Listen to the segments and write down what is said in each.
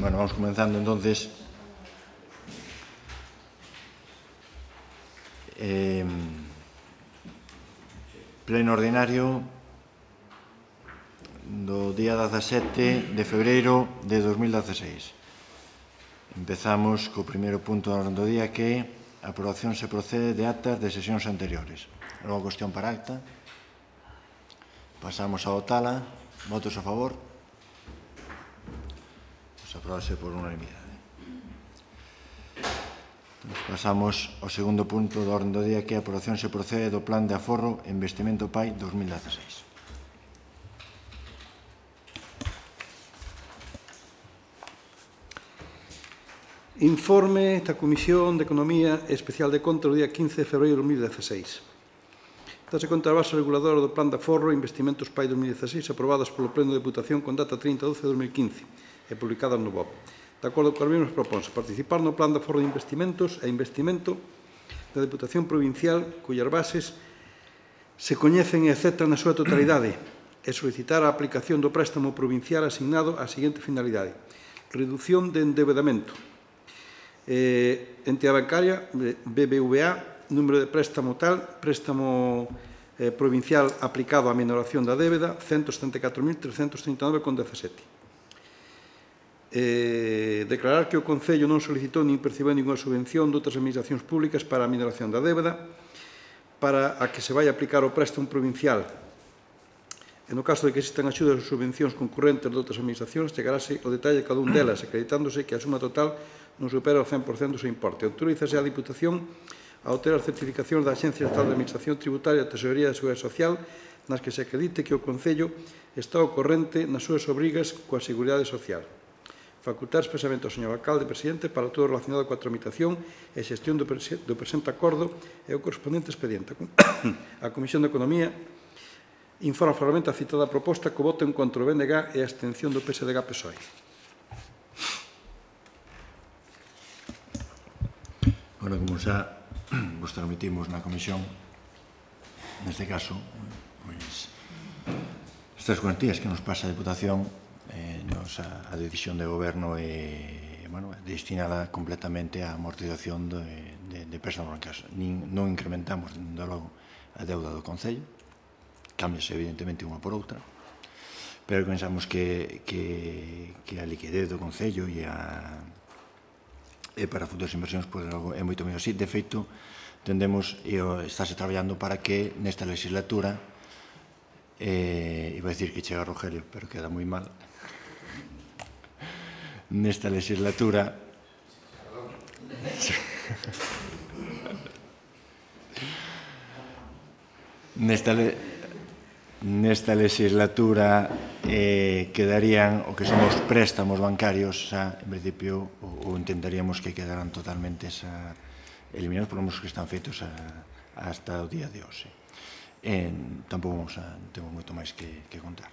Bueno, vamos comenzando entonces. Pleno ordinario do día 17 de febreiro de 2016. Empezamos co primeiro punto do día, que a aprobación se procede de actas de sesións anteriores. Logo, cuestión para acta. Pasamos a votala. Votos a favor. Aprobase por unanimidade. Pasamos ao segundo punto do orden do día, que a aprobación se procede do Plan de Aforro e Investimento PAI 2016. Informe da Comisión de Economía e Especial de Conta do día 15 de febreiro de 2016. Dase conta a base reguladora do Plan de Aforro e Investimentos PAI 2016 aprobadas polo Pleno de Deputación con data 30 de 12 de 2015 e publicadas no BOP. De acordo coas mesmas proponse participar no Plan de Aforro de Investimentos e Investimento da Deputación Provincial, cuyas bases se coñecen e aceptan na súa totalidade, e solicitar a aplicación do préstamo provincial asignado á seguinte finalidade: reducción de endebedamento. Entidade bancaria, BBVA, número de préstamo tal, préstamo provincial aplicado á minoración da débeda, 174.339,17. Declarar que o Concello non solicitou nin percibeu ninguna subvención de outras administracións públicas para a minoración da débeda, para a que se vai aplicar o préstamo provincial. E no caso de que existan axudas ou subvencións concurrentes de outras administracións, chegarase o detalle de cada un delas, acreditándose que a suma total non supera o 100% do seu importe. Autorízase a Diputación a obter as certificacións da Axencia Estatal de Administración Tributaria e da Tesorería da Seguridade Social, nas que se acredite que o Concello está ao corrente nas súas obrigas coa Seguridade Social. Facultar expresamente ao señor alcalde presidente para todo relacionado coa tramitación e xestión do presente acordo e o correspondente expediente. A Comisión de Economía informa favorablemente a citada proposta co voto en contra do BNG e a abstención do PSDG-PSOE. Bueno, como xa vos transmitimos na comisión, neste caso, estas cuantías que nos pasa a Deputación, a decisión de goberno é destinada completamente á amortización de préstamos bancarios. Non incrementamos, dende logo, a deuda do Concello, cámbiase evidentemente unha por outra, pero pensamos que a liquidez do Concello e para futuras inversións é moito mellor así. De feito, tendemos, e estáse traballando para que nesta legislatura, iba a decir que chega Rogelio, pero queda moi mal, nesta legislatura quedarían o que son os préstamos bancarios, en principio, ou intentaríamos que quedaran totalmente eliminados por os que están feitos hasta o día de hoxe. Tampouco temos moito máis que contar.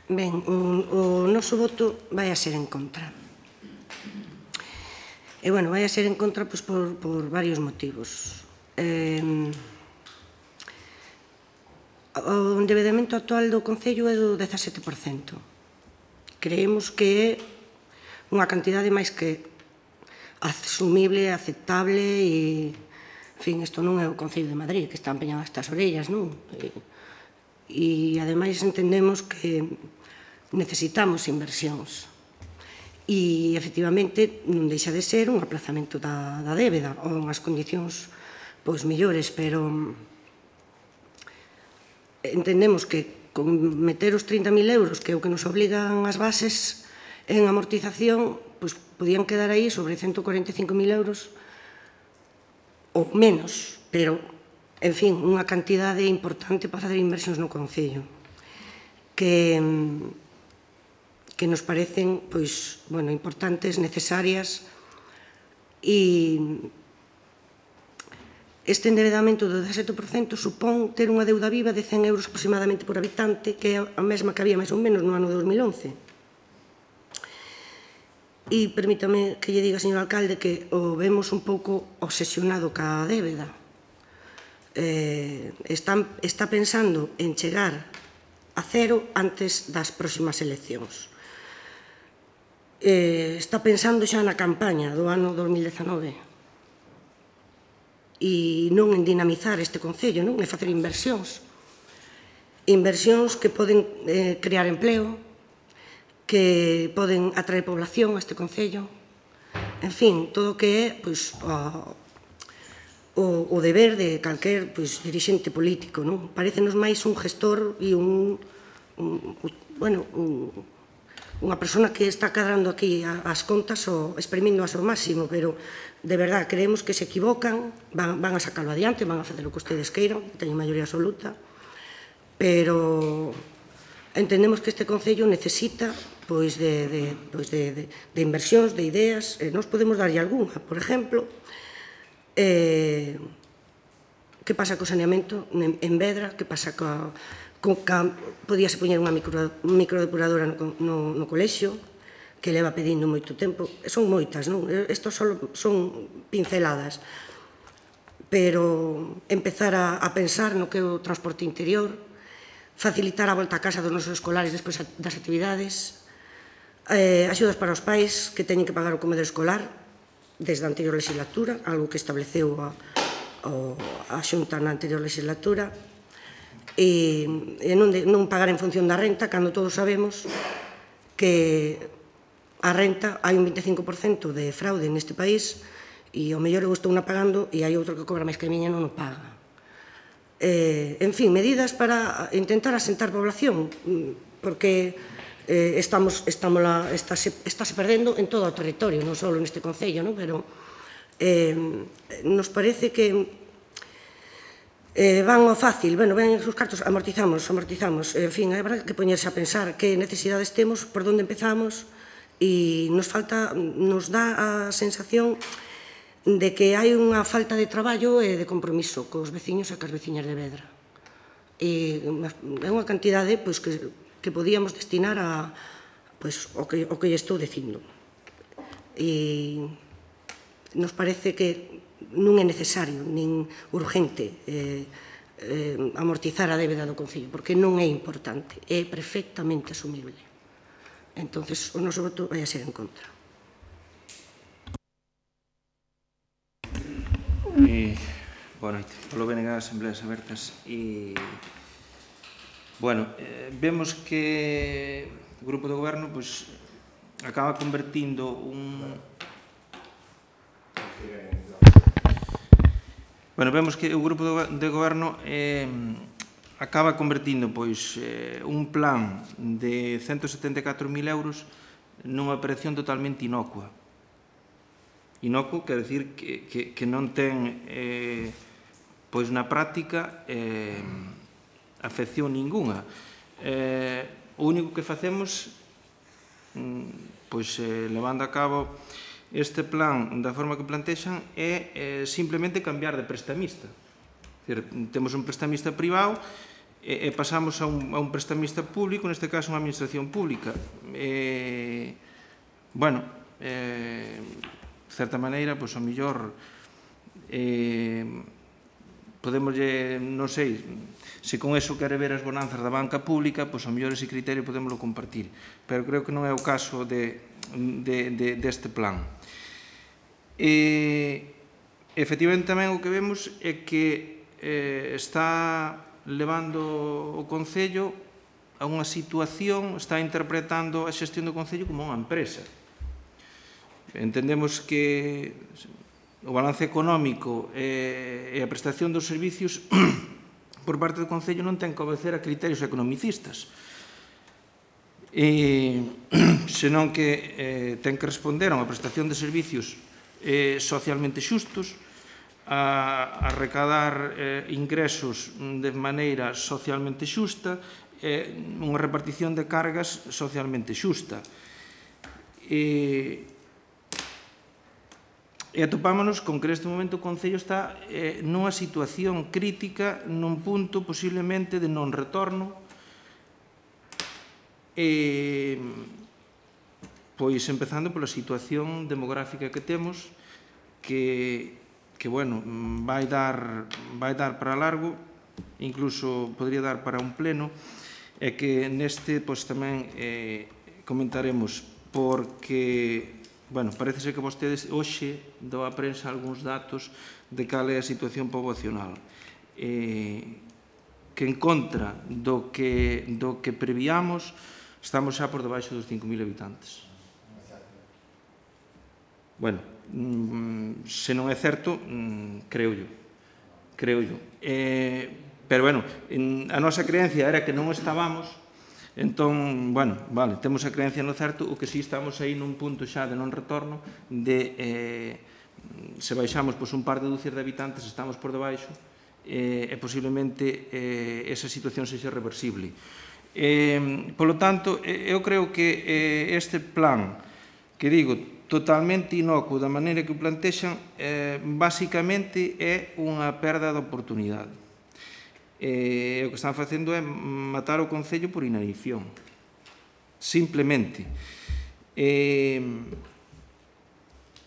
Ben, o noso voto vai a ser en contra. E, bueno, vai a ser en contra por varios motivos. O endebedamento actual do Concello é do 17%. Creemos que é unha cantidade máis que asumible, aceptable e, en fin, isto non é o Concello de Madrid, que está empeñado hasta as orellas, non? E, ademais, entendemos que necesitamos inversións. E, efectivamente, non deixa de ser un aplazamento da débeda ou unhas condicións mellores, pero entendemos que con meter os 30.000 euros, que é o que nos obligan as bases en amortización, podían quedar aí sobre 145.000 euros ou menos, pero, en fin, unha cantidade importante para facer inversións no Concello, que nos parecen importantes, necesarias, e este endebedamento do 17% supón ter unha deuda viva de 100 euros aproximadamente por habitante, que é a mesma que había máis ou menos no ano 2011. E permítame que lle diga, señor alcalde, que o vemos un pouco obsesionado ca débeda. está pensando en chegar a cero antes das próximas eleccións. Está pensando xa na campaña do ano 2019 e non en dinamizar este concello, non? En facer inversións. Inversións que poden crear empleo, que poden atraer población a este concello. En fin, todo o que é o deber de calquer dirixente político, non? Parécenos máis un gestor e unha persona que está cadrando aquí as contas ou exprimindo ao máximo, pero de verdad creemos que se equivocan, van a sacarlo adiante, van a facer o que ustedes queiran, que teñen maioría absoluta, pero entendemos que este concello necesita de inversións, de ideas, e nós podemos darlle algunha. Por exemplo, que pasa co saneamento en Vedra, que pasa podíase poñer unha microdepuradora no colexio, que leva pedindo moito tempo. Son moitas, non? Isto son pinceladas. Pero empezar a pensar no que é o transporte interior, facilitar a volta a casa dos nosos escolares despois das actividades, axudas para os pais que teñen que pagar o comedor escolar desde a anterior legislatura, algo que estableceu a Xunta na anterior legislatura, e non pagar en función da renta, cando todos sabemos que a renta hai un 25% de fraude neste país e ao mellor eu estou na pagando e hai outro que cobra máis que a miña e non o paga. En fin, medidas para intentar asentar población, porque estáse perdendo en todo o territorio, non só neste concello, pero nos parece que van ao fácil, ven os cartos, amortizamos, en fin, habrá que poñerse a pensar que necesidades temos, por onde empezamos, e nos dá a sensación de que hai unha falta de traballo e de compromiso cos veciños e cas veciñas de Vedra. É unha cantidade que podíamos destinar ao que lle estou dicindo. E nos parece que non é necesario, nin urgente, amortizar a débeda do concello, porque non é importante, é perfectamente asumible. Entón, o noso voto vai a ser en contra. Boa noite. Polo BNG Asembleas Abertas. Vemos que o Grupo do Goberno acaba convertindo vemos que o Grupo de Goberno acaba convertindo un plan de 174.000 euros nunha operación totalmente inocua. Inocuo quer dicir que non ten na práctica afección ninguna. O único que facemos levando a cabo este plan da forma que plantexan é simplemente cambiar de prestamista. Temos un prestamista privado e pasamos a un prestamista público, neste caso unha administración pública. De certa maneira, ao mellor podemos, non sei, se con eso quere ver as bonanzas da banca pública, ao mellor ese criterio podemoslo compartir, pero creo que non é o caso deste plan. Efectivamente, tamén o que vemos é que está levando o Concello a unha situación, está interpretando a xestión do Concello como unha empresa. Entendemos que o balance económico e a prestación dos servicios por parte do Concello non ten que obedecer a criterios economicistas, senón que ten que responder a unha prestación de servicios socialmente xustos, a recadar ingresos de maneira socialmente xusta, unha repartición de cargas socialmente xusta. E atopámonos con que neste momento o Concello está nunha situación crítica, nun punto posiblemente de non retorno, pois empezando pola situación demográfica que temos, que bueno, vai dar para largo, incluso podría dar para un pleno, e que neste tamén comentaremos, porque, bueno, parece ser que vostedes hoxe dou a prensa algúns datos de cal é a situación poboacional, que en contra do que prevíamos, estamos xa por debaixo dos 5.000 habitantes. Bueno, se non é certo, creo yo. Pero, bueno, a nosa creencia era que non estábamos, entón, bueno, vale, temos a creencia no certo, o que si estamos aí nun punto xa de non retorno, de, se baixamos un par de dúcias de habitantes, estamos por debaixo, e posiblemente esa situación sexa reversible. Polo tanto, eu creo que este plan, que digo, totalmente inocuo da maneira que o plantexan, basicamente é unha perda de oportunidade. O que están facendo é matar o Concello por inanición. Simplemente.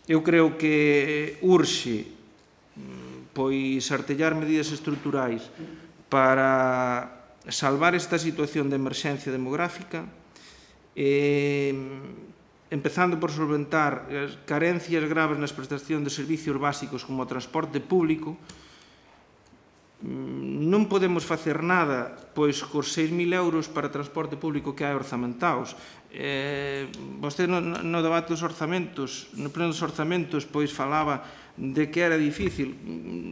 Eu creo que urxe artellar medidas estruturais para salvar esta situación de emerxencia demográfica, empezando por solventar as carencias graves nas prestacións de servicios básicos como o transporte público. Non podemos facer nada cos 6.000 euros para transporte público que hai orzamentados. Vostede no debate dos orzamentos, no pleno dos orzamentos, falaba de que era difícil.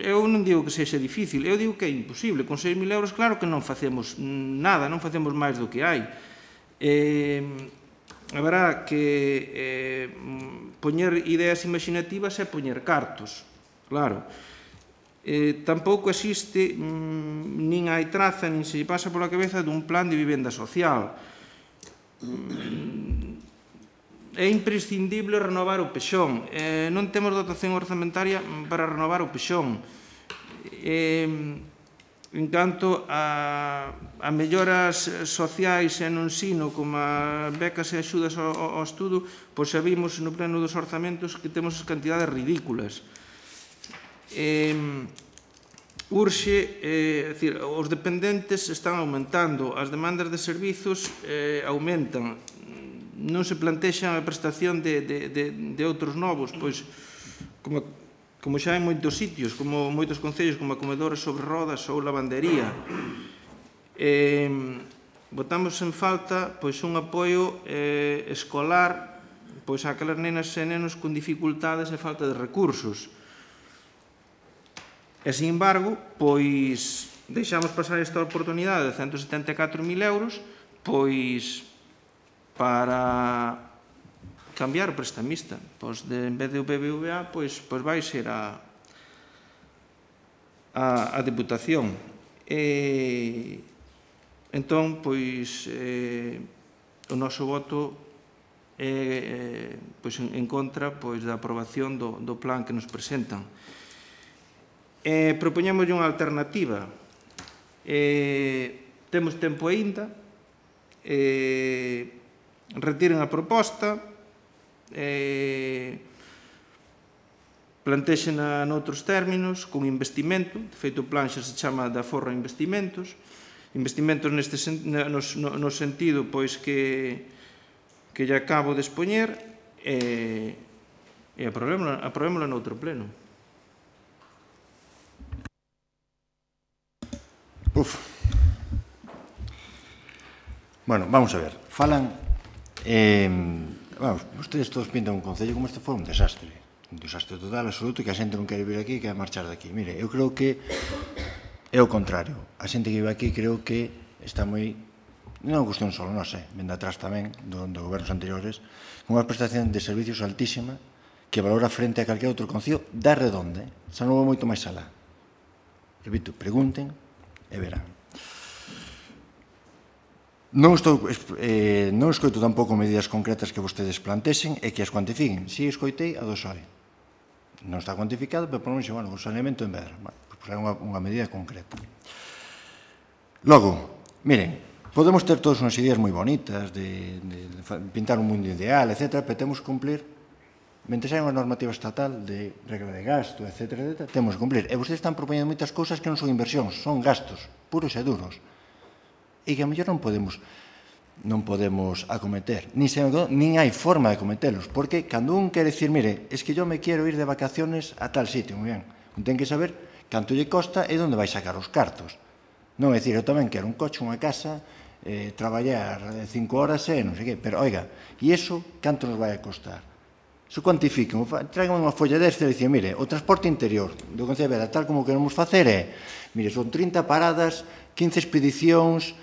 Eu non digo que sexa difícil, eu digo que é imposible. Con 6.000 euros, claro que non facemos nada, non facemos máis do que hai. Haberá que poñer ideas imaginativas e poñer cartos, claro. Tampouco existe, nin hai traza, nin se pasa pola cabeza dun plan de vivenda social. É imprescindible renovar o Pexón. Non temos dotación orzamentaria para renovar o Pexón. En canto a melloras sociais e no ensino, como a becas e axudas ao estudo, xa vimos no pleno dos orzamentos que temos cantidades ridículas. Urxe, os dependentes están aumentando, as demandas de servizos aumentan, non se plantexan a prestación de outros novos, como xa en moitos sitios, como moitos concellos, como a comedores sobre rodas ou lavandería. Botamos en falta un apoio escolar a aquelas nenas e nenos con dificultades e falta de recursos. E, sin embargo, deixamos pasar esta oportunidade de 174.000 euros para cambiar o prestamista. En vez de o BBVA, vai ser a Deputación. Entón, o noso voto é en contra da aprobación do plan que nos presentan. Propoñémoslle unha alternativa. Temos tempo aínda. Retiren a proposta, plantexena noutros términos, con investimento. De feito, o plan xa se chama de aforro a investimentos. Investimentos no sentido que lle acabo de expoñer, e aprobémola noutro pleno. Bueno, vamos a ver. Falan... Vostedes todos pintan un concello como este fora un desastre total, absoluto, que a xente non quere vir aquí e quere marchar daqui. Mire, eu creo que é o contrario. A xente que vive aquí creo que está moi... Non é cuestión só, non sei, vende atrás tamén do gobernos anteriores, con unha prestación de servicios altísima que valora frente a calquer outro concello da redonda. Xa non vou moito máis alá. Repito, pregunten e verán. Non escoito tampouco medidas concretas que vostedes plantexen e que as cuantifiquen. Si escoitei a do PSOE. Non está cuantificado, pero por menos, o saneamento en Vedra. Pois é unha medida concreta. Logo, miren, podemos ter todas unhas ideas moi bonitas de pintar un mundo ideal, etc., pero temos que cumplir mentre hai unha normativa estatal de regra de gasto, etc., temos que cumplir. E vostedes están propoñendo moitas cousas que non son inversións, son gastos puros e duros. E que a mellor non podemos acometer, nin hai forma de acometelos, porque cando un quere dicir, mire, es que yo me quiero ir de vacaciones a tal sitio, moi ben, un ten que saber canto lle costa e onde vai sacar os cartos. Non é dicir, eu tamén quero un coche, unha casa, traballar 5 horas e non sei que, pero, oiga, e iso canto nos vai a costar? Iso cuantifiquen, traigan unha folla desta e dicen, mire, o transporte interior do Concello de Vedra, tal como queremos facer é, mire, son 30 paradas, 15 expedicións,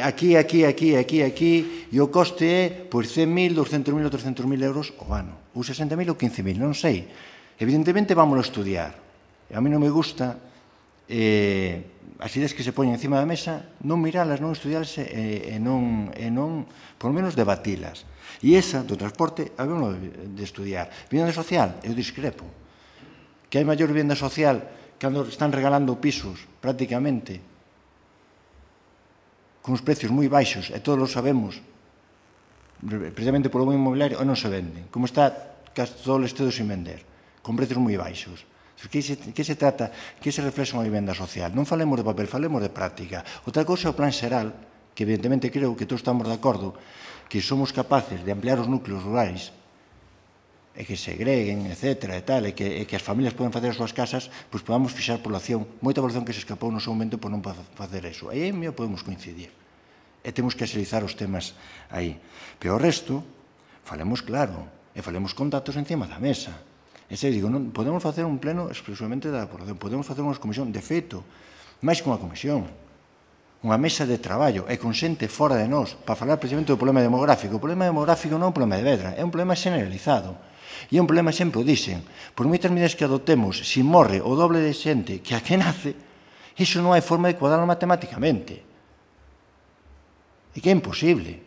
aquí, e o coste é, pois, 100.000, 200.000 ou 300.000 euros o ano, ou 60.000 ou 15.000, non sei. Evidentemente, vámonos a estudiar. E a mí non me gusta as ideas que se poñen encima da mesa, non miralas, non estudialas e non, por lo menos, debatilas. E esa, do transporte, habemos de estudiar. Vivenda social, eu discrepo. Que hai maior vivenda social cando están regalando pisos, prácticamente, con os precios moi baixos, e todos lo sabemos, precisamente polo buen inmobiliario, e non se venden. Como está todo o Estado sin vender, con precios moi baixos. Que se trata? Que se reflexa unha vivenda social? Non falemos de papel, falemos de práctica. Outra cousa é o plan xeral, que evidentemente creo que todos estamos de acordo que somos capaces de ampliar os núcleos rurais e que segreguen, etc., e tal, e que as familias poden facer as súas casas, pois podamos fixar población, moita población que se escapou no seu momento por non facer eso. Aí mesmo podemos coincidir. E temos que axilizar os temas aí. Pero o resto, falemos claro, e falemos con datos encima da mesa. E se digo, non podemos facer un pleno exclusivamente da población, podemos facer unha comisión, de feito, máis que unha comisión, unha mesa de traballo e con xente fora de nós para falar precisamente do problema demográfico. O problema demográfico non é un problema de Vedra, é un problema generalizado. E é un problema, sempre o dixen, por moitas medidas que adoptemos, se morre o doble de xente que a que nace, iso non hai forma de cuadrarlo matemáticamente. E que é imposible.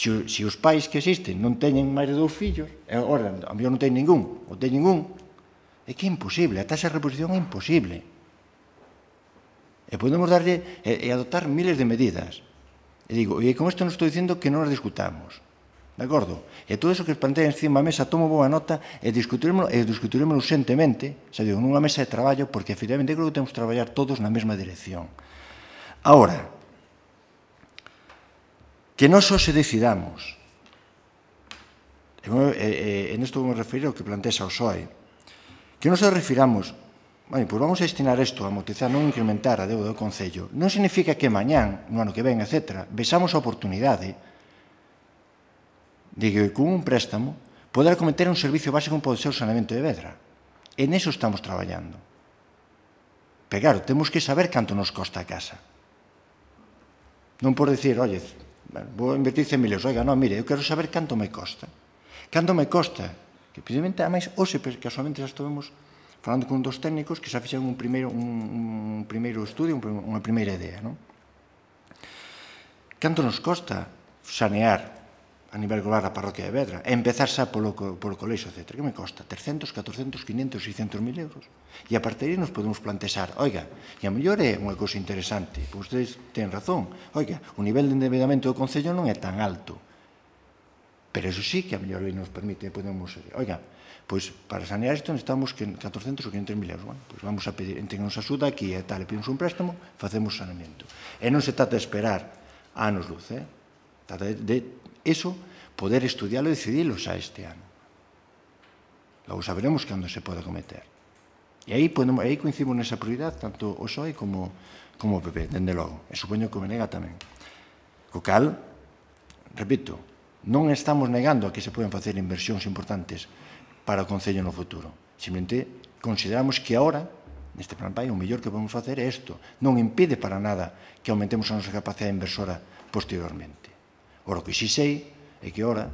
Se os pais que existen non teñen máis de 2 fillos, e agora, a mellor non teñen ningún, ou teñen un, é que é imposible, a taxa de reposición é imposible. E podemos darlle e adoptar miles de medidas. E digo, e con isto non estou dicindo que non as discutamos. De acordo? E todo iso que plantea encima da mesa, tomo boa nota e discutiremos urgentemente, xa digo, nunha mesa de traballo, porque efectivamente creo que temos que traballar todos na mesma dirección. Ahora, que non só se decidamos, e nesto vou me referir ao que plantea o PSOE, que non se refiramos, pois vamos a destinar isto a amortizar, non incrementar a deuda do Concello. Non significa que mañán, no ano que ven, etc., vexamos a oportunidade de que con un préstamo poder acometer un servicio básico como pode ser o saneamento de Vedra. En eso estamos traballando. Pero claro, temos que saber canto nos costa a casa. Non por decir, oye, vou invertir 100.000 euros, oiga, non, mire, eu quero saber canto me costa. Canto me costa, que precisamente, ademais, hoxe, casualmente, xa estivemos falando con dos técnicos que xa fixeron un primeiro estudio, unha primeira idea, non? Canto nos costa sanear a nivel global a parroquia de Vedra, e empezar xa polo colexo, etc. Que me costa? 300, 400, 500, 600.000 euros. E a partir de aí nos podemos plantexar, oiga, e a mellor é unha cousa interesante, pois ustedes ten razón, oiga, o nivel de endeudamento do Concello non é tan alto, pero eso sí que a mellor nos permite, podemos, oiga, pois para sanear isto necesitamos 400 ou 500.000 euros. Bueno, pois vamos a pedir, entre que nos axuda aquí e tal, e pedimos un préstamo, facemos saneamento. E non se trata de esperar anos luz, trata de eso, poder estudiarlo e decidilo xa este ano. Logo saberemos cando se pode acometer. E aí coincidimos nesa prioridade, tanto o PSOE como o PP, dende logo. E supoño que o Menega tamén. Co cal, repito, non estamos negando a que se poden facer inversións importantes para o Concello no futuro. Simplemente consideramos que agora, neste plan PAI, o mellor que podemos facer é isto. Non impide para nada que aumentemos a nosa capacidade inversora posteriormente. Ora, o que sí sei é que agora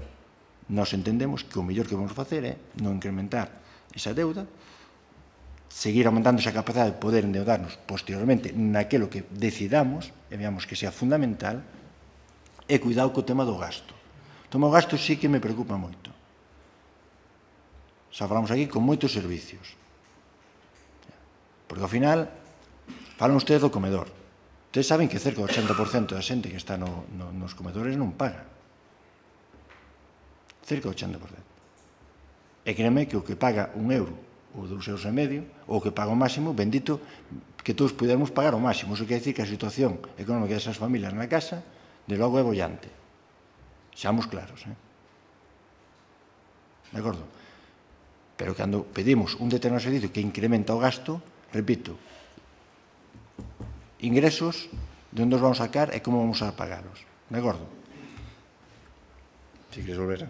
nós entendemos que o mellor que vamos facer é non incrementar esa deuda, seguir aumentando esa capacidade de poder endeudarnos posteriormente naquilo que decidamos, e veamos que sea fundamental, e cuidado co tema do gasto. O tema do gasto sí que me preocupa moito. Xa falamos aquí con moitos servicios. Porque ao final, falan ustedes do comedor. Ustedes saben que cerca do 80% da xente que está nos comedores non paga. Cerca do 80%. E créeme que o que paga €1 ou €2,5, ou que paga o máximo, bendito, que todos pudermos pagar o máximo. Iso quer dicir que a situación económica desas familias na casa, de logo, é bollante. Xamos claros, de acordo? Pero cando pedimos un determinado servicio que incrementa o gasto, repito, ingresos, de onde os vamos a sacar e como vamos a pagaros, de acordo? Si queres volver a...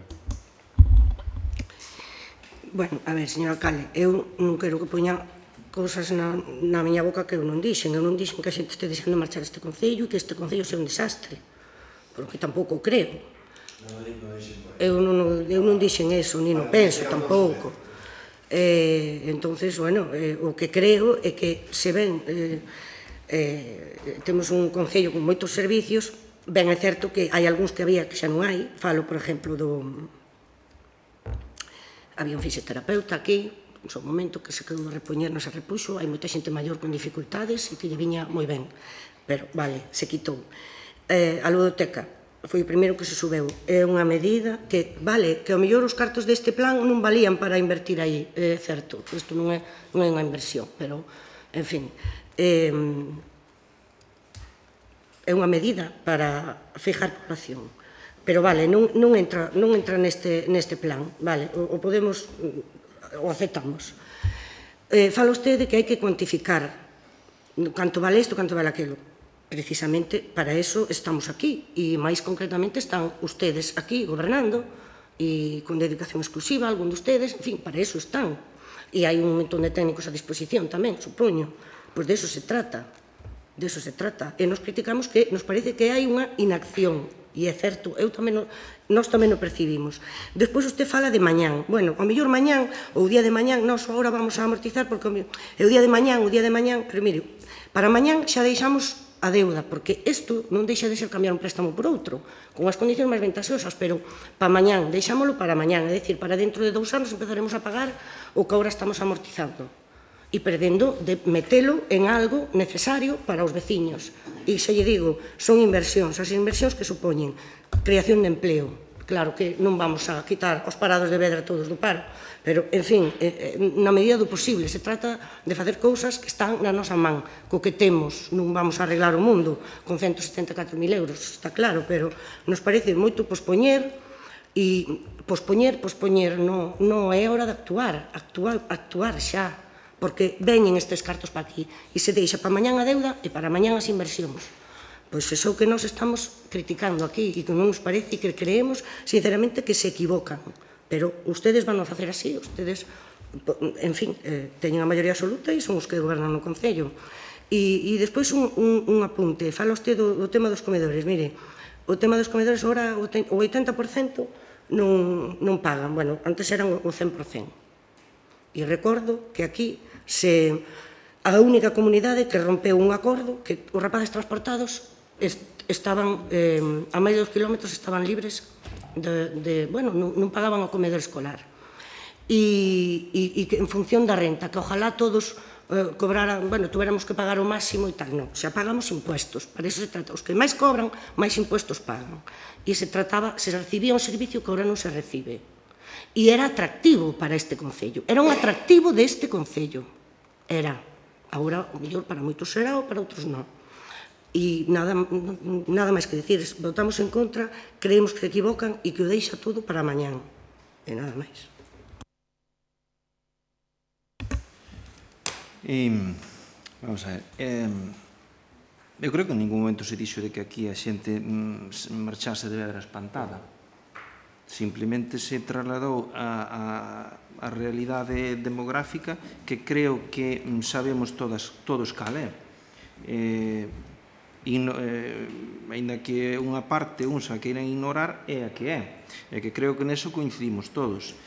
Bueno, a ver, señor alcalde, eu non quero que poña cousas na miña boca que eu non dixen. Eu non dixen que a xente este deixando marchar este concello e que este concello sea un desastre, porque tampouco creo. Eu non dixen eso, ni non penso tampouco. Entonces, bueno, o que creo é que se ven temos un concello con moitos servicios, ben é certo que hai algúns que había que xa non hai. Falo, por exemplo, había un fisioterapeuta aquí, no seu momento, que se quedou de repoñer, non se repuxo, hai moita xente maior con dificultades e que lle viña moi ben, pero, vale, se quitou. A ludoteca foi o primeiro que se subeu, é unha medida que, vale, que ao mellor os cartos deste plan non valían para invertir aí, é certo, isto non é unha inversión, pero, en fin, é unha medida para fijar población. Pero vale, non entra neste plan, vale, o podemos, o aceptamos. Fala usted de que hai que cuantificar canto vale isto, canto vale aquilo. Precisamente para eso estamos aquí, e máis concretamente están ustedes aquí gobernando, e con dedicación exclusiva, algún de ustedes, en fin, para eso están. E hai un montón de técnicos a disposición tamén, supoño. Pois de eso se trata. De eso se trata. E nos criticamos que nos parece que hai unha inacción. E é certo, nós tamén o percibimos. Despois usted fala de mañán. Bueno, ao mellor mañán, ou o día de mañán, nós agora vamos a amortizar, porque é o día de mañán, pero mire, para mañán xa deixamos a deuda, porque isto non deixa de ser cambiar un préstamo por outro, con as condicións máis ventasosas, pero para mañán, deixámolo para mañán, é dicir, para dentro de 2 anos empezaremos a pagar o que agora estamos amortizando. E perdendo de metelo en algo necesario para os veciños. E xa lle digo, son inversións, as inversións que supoñen creación de empleo. Claro que non vamos a quitar os parados de Vedra todos do paro, pero, en fin, na medida do posible, se trata de facer cousas que están na nosa man, co que temos. Non vamos a arreglar o mundo con 174.000 euros, está claro, pero nos parece moito pospoñer, e pospoñer non é hora de actuar xa, porque veñen estes cartos para aquí e se deixa para mañán a deuda e para mañán as inversións. Pois iso que nós estamos criticando aquí e que non nos parece e que creemos, sinceramente, que se equivocan. Pero ustedes van a facer así, ustedes, en fin, teñen a maioría absoluta e son os que gobernan no Concello. E despois un apunte, fala usted do tema dos comedores. Mire, o tema dos comedores agora o 80% non pagan, bueno, antes eran o 100%. E recordo que aquí a única comunidade que rompeu un acordo, que os rapaces transportados estaban, a máis de 2 kilómetros, estaban libres bueno, non pagaban o comedor escolar. E que en función da renta, que ojalá todos cobraran, bueno, tuéramos que pagar o máximo e tal, non, xa pagamos impuestos, para eso se trata, os que máis cobran, máis impuestos pagan. E se recibía un servicio que agora non se recibe. E era atractivo para este concello, era un atractivo deste concello, era. Agora, o mellor para moitos será ou para outros non. E nada máis que dicir, votamos en contra, creemos que se equivocan e que o deixa todo para mañán, e nada máis. Vamos a ver, eu creo que en ningún momento se dixo de que aquí a xente marchase de Vedra espantada. Simplemente se trasladou a realidade demográfica que creo que sabemos todos cal é. Ainda que unha parte uns a queiran ignorar, é a que é. E que creo que neso coincidimos todos.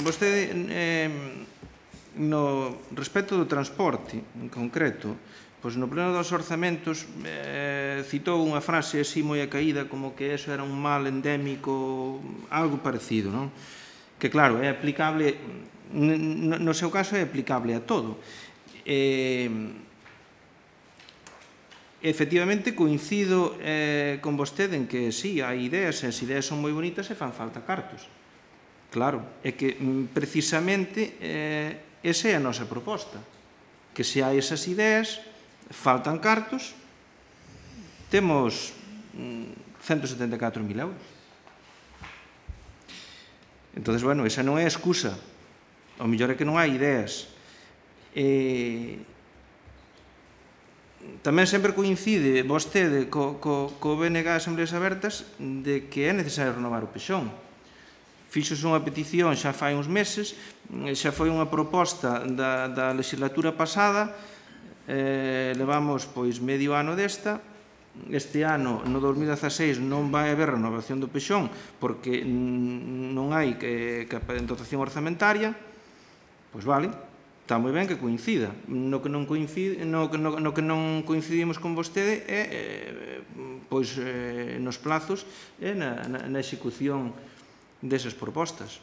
Vostede, no respecto do transporte, en concreto, pois no pleno dos orzamentos citou unha frase así moi acaída como que eso era un mal endémico, algo parecido, non? Que claro, é aplicable, no seu caso é aplicable a todo. Efectivamente, coincido con vostede en que sí, hai ideas, e as ideas son moi bonitas e fan falta cartos. Claro, é que precisamente esa é a nosa proposta, que se hai esas ideas, faltan cartos, temos 174.000 euros. Entón, bueno, esa non é a excusa. O mellor é que non hai ideas. Tamén sempre coincide vostede co BNG das Asambleas Abertas de que é necesario renovar o pexón. Fixos unha petición xa fai uns meses, xa foi unha proposta da legislatura pasada, levamos pois medio ano desta. Este ano, no 2016, non vai haber renovación do pexón porque non hai dotación orzamentaria. Pois vale, está moi ben que coincida. No que non coincidimos con vostede é pois nos plazos e na execución desas propostas.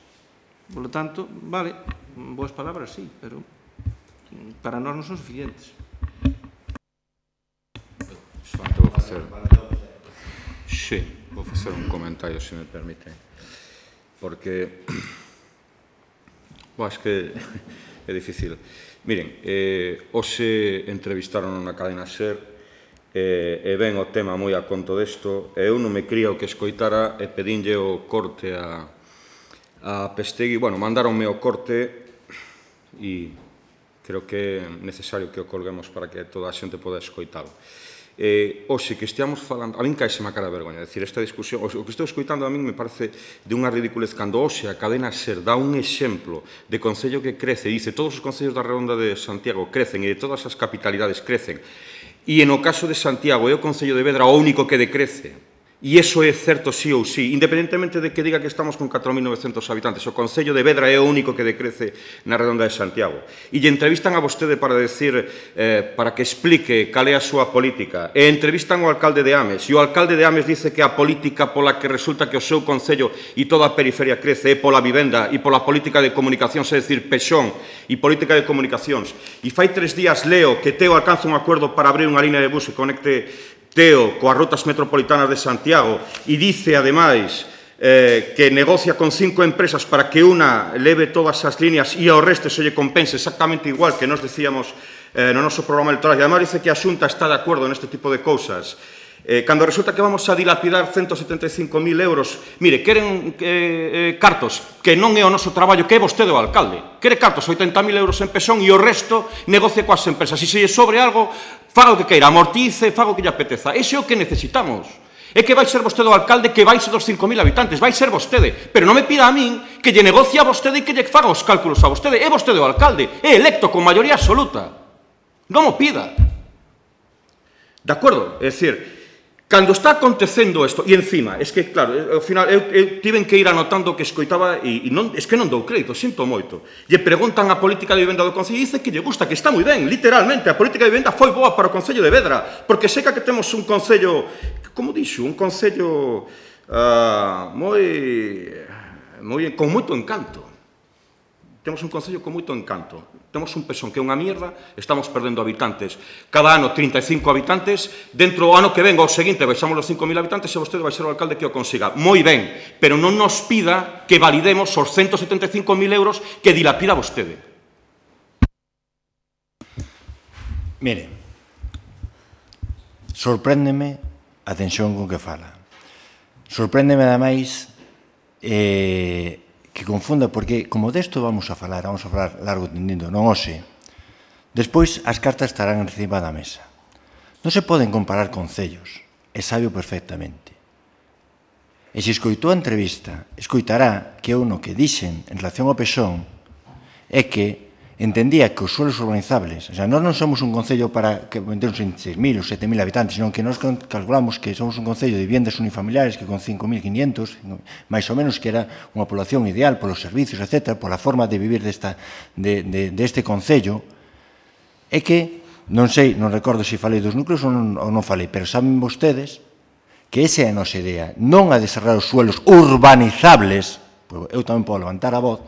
Por lo tanto, vale, boas palabras, sí, pero para nós non son suficientes. Solamente vou facer... Sí, vou facer un comentario, se me permite. Porque... Acho que é difícil. Miren, hoxe entrevistaron na cadena SER e ven o tema moi a conto desto e eu non me cría o que escoitara e pedinlle o corte a Pestegui. Bueno, mandaronme o corte e creo que é necesario que o colguemos para que toda a xente poda escoitalo. Hoxe que esteamos falando, a min caíseme a cara de vergoña, decir, esta discusión, o que estou escoitando a min me parece de unha ridiculez cando hoxe a cadena SER dá un exemplo de concello que crece, dice, todos os concellos da Redonda de Santiago crecen e de todas as capitalidades crecen, e no caso de Santiago é o concello de Vedra o único que decrece. E iso é certo sí ou sí, independentemente de que diga que estamos con 4.900 habitantes. O concello de Vedra é o único que decrece na Redonda de Santiago. E lle entrevistan a vostede para decir, para que explique cal é a súa política. E entrevistan ao alcalde de Ames. E o alcalde de Ames dice que a política pola que resulta que o seu concello e toda a periferia crece é pola vivenda e pola política de comunicacións, é dicir, pexón e política de comunicacións. E fai 3 días leo que Teo alcanza un acordo para abrir unha línea de bus que conecte Teo coas rutas metropolitanas de Santiago e dice, ademais, que negocia con 5 empresas para que unha leve todas as líneas e ao resto se lle compense exactamente igual que nos decíamos no noso programa electoral. E ademais dice que a Xunta está de acordo neste tipo de cousas. Cando resulta que vamos a dilapidar 175.000 euros, mire, queren cartos, que non é o noso traballo, que é vostede o alcalde. Quere cartos, 80.000 euros en pexón e o resto negocia coas empresas. E se lle sobre algo, faga o que queira, amortice, faga o que lle apeteza. Ese é o que necesitamos. É que vai ser vostede o alcalde que vai ser dos 5.000 habitantes, vai ser vostede. Pero non me pida a min que lle negocie a vostede e que lle faga os cálculos a vostede. É vostede o alcalde, é electo con maioría absoluta. Non o pida. De acordo? É dicir, cando está acontecendo isto, e encima, es que, claro, ao final, eu tiven que ir anotando o que escoitaba e non, es que non dou crédito, sinto moito. Lle preguntan a política de vivenda do Concello e dice que lle gusta, que está moi ben, literalmente, a política de vivenda foi boa para o Concello de Vedra, porque seca que temos un Concello, como dixo, un Concello con moito encanto. Temos un concello con moito encanto. Temos un pexón que é unha mierda, estamos perdendo habitantes. Cada ano 35 habitantes, dentro do ano que venga o seguinte baixamos os 5.000 habitantes e vostede vai ser o alcalde que o consiga. Moi ben, pero non nos pida que validemos os 175.000 euros que dilapida vostede. Mire, sorpréndeme a tensión con que fala. Sorpréndeme, ademais, que confunda, porque como desto vamos a falar largo tendindo, non hoxe. Despois as cartas estarán encima da mesa. Non se poden comparar concellos, e sabe perfectamente. E se escoitou a entrevista, escoitará que eu no que dixen en relación ao pexón é que entendía que os suelos urbanizables, o sea, nós non somos un concello para que vendemos en 6.000 ou 7.000 habitantes, senón que nós calculamos que somos un concello de viviendas unifamiliares que con 5.500, máis ou menos, que era unha población ideal polos servicios, etc., pola forma de vivir deste concello, é que, non sei, non recordo se falei dos núcleos ou non falei, pero saben vostedes que esa é a nosa idea, non a desarrollar os suelos urbanizables, eu tamén podo levantar a voz,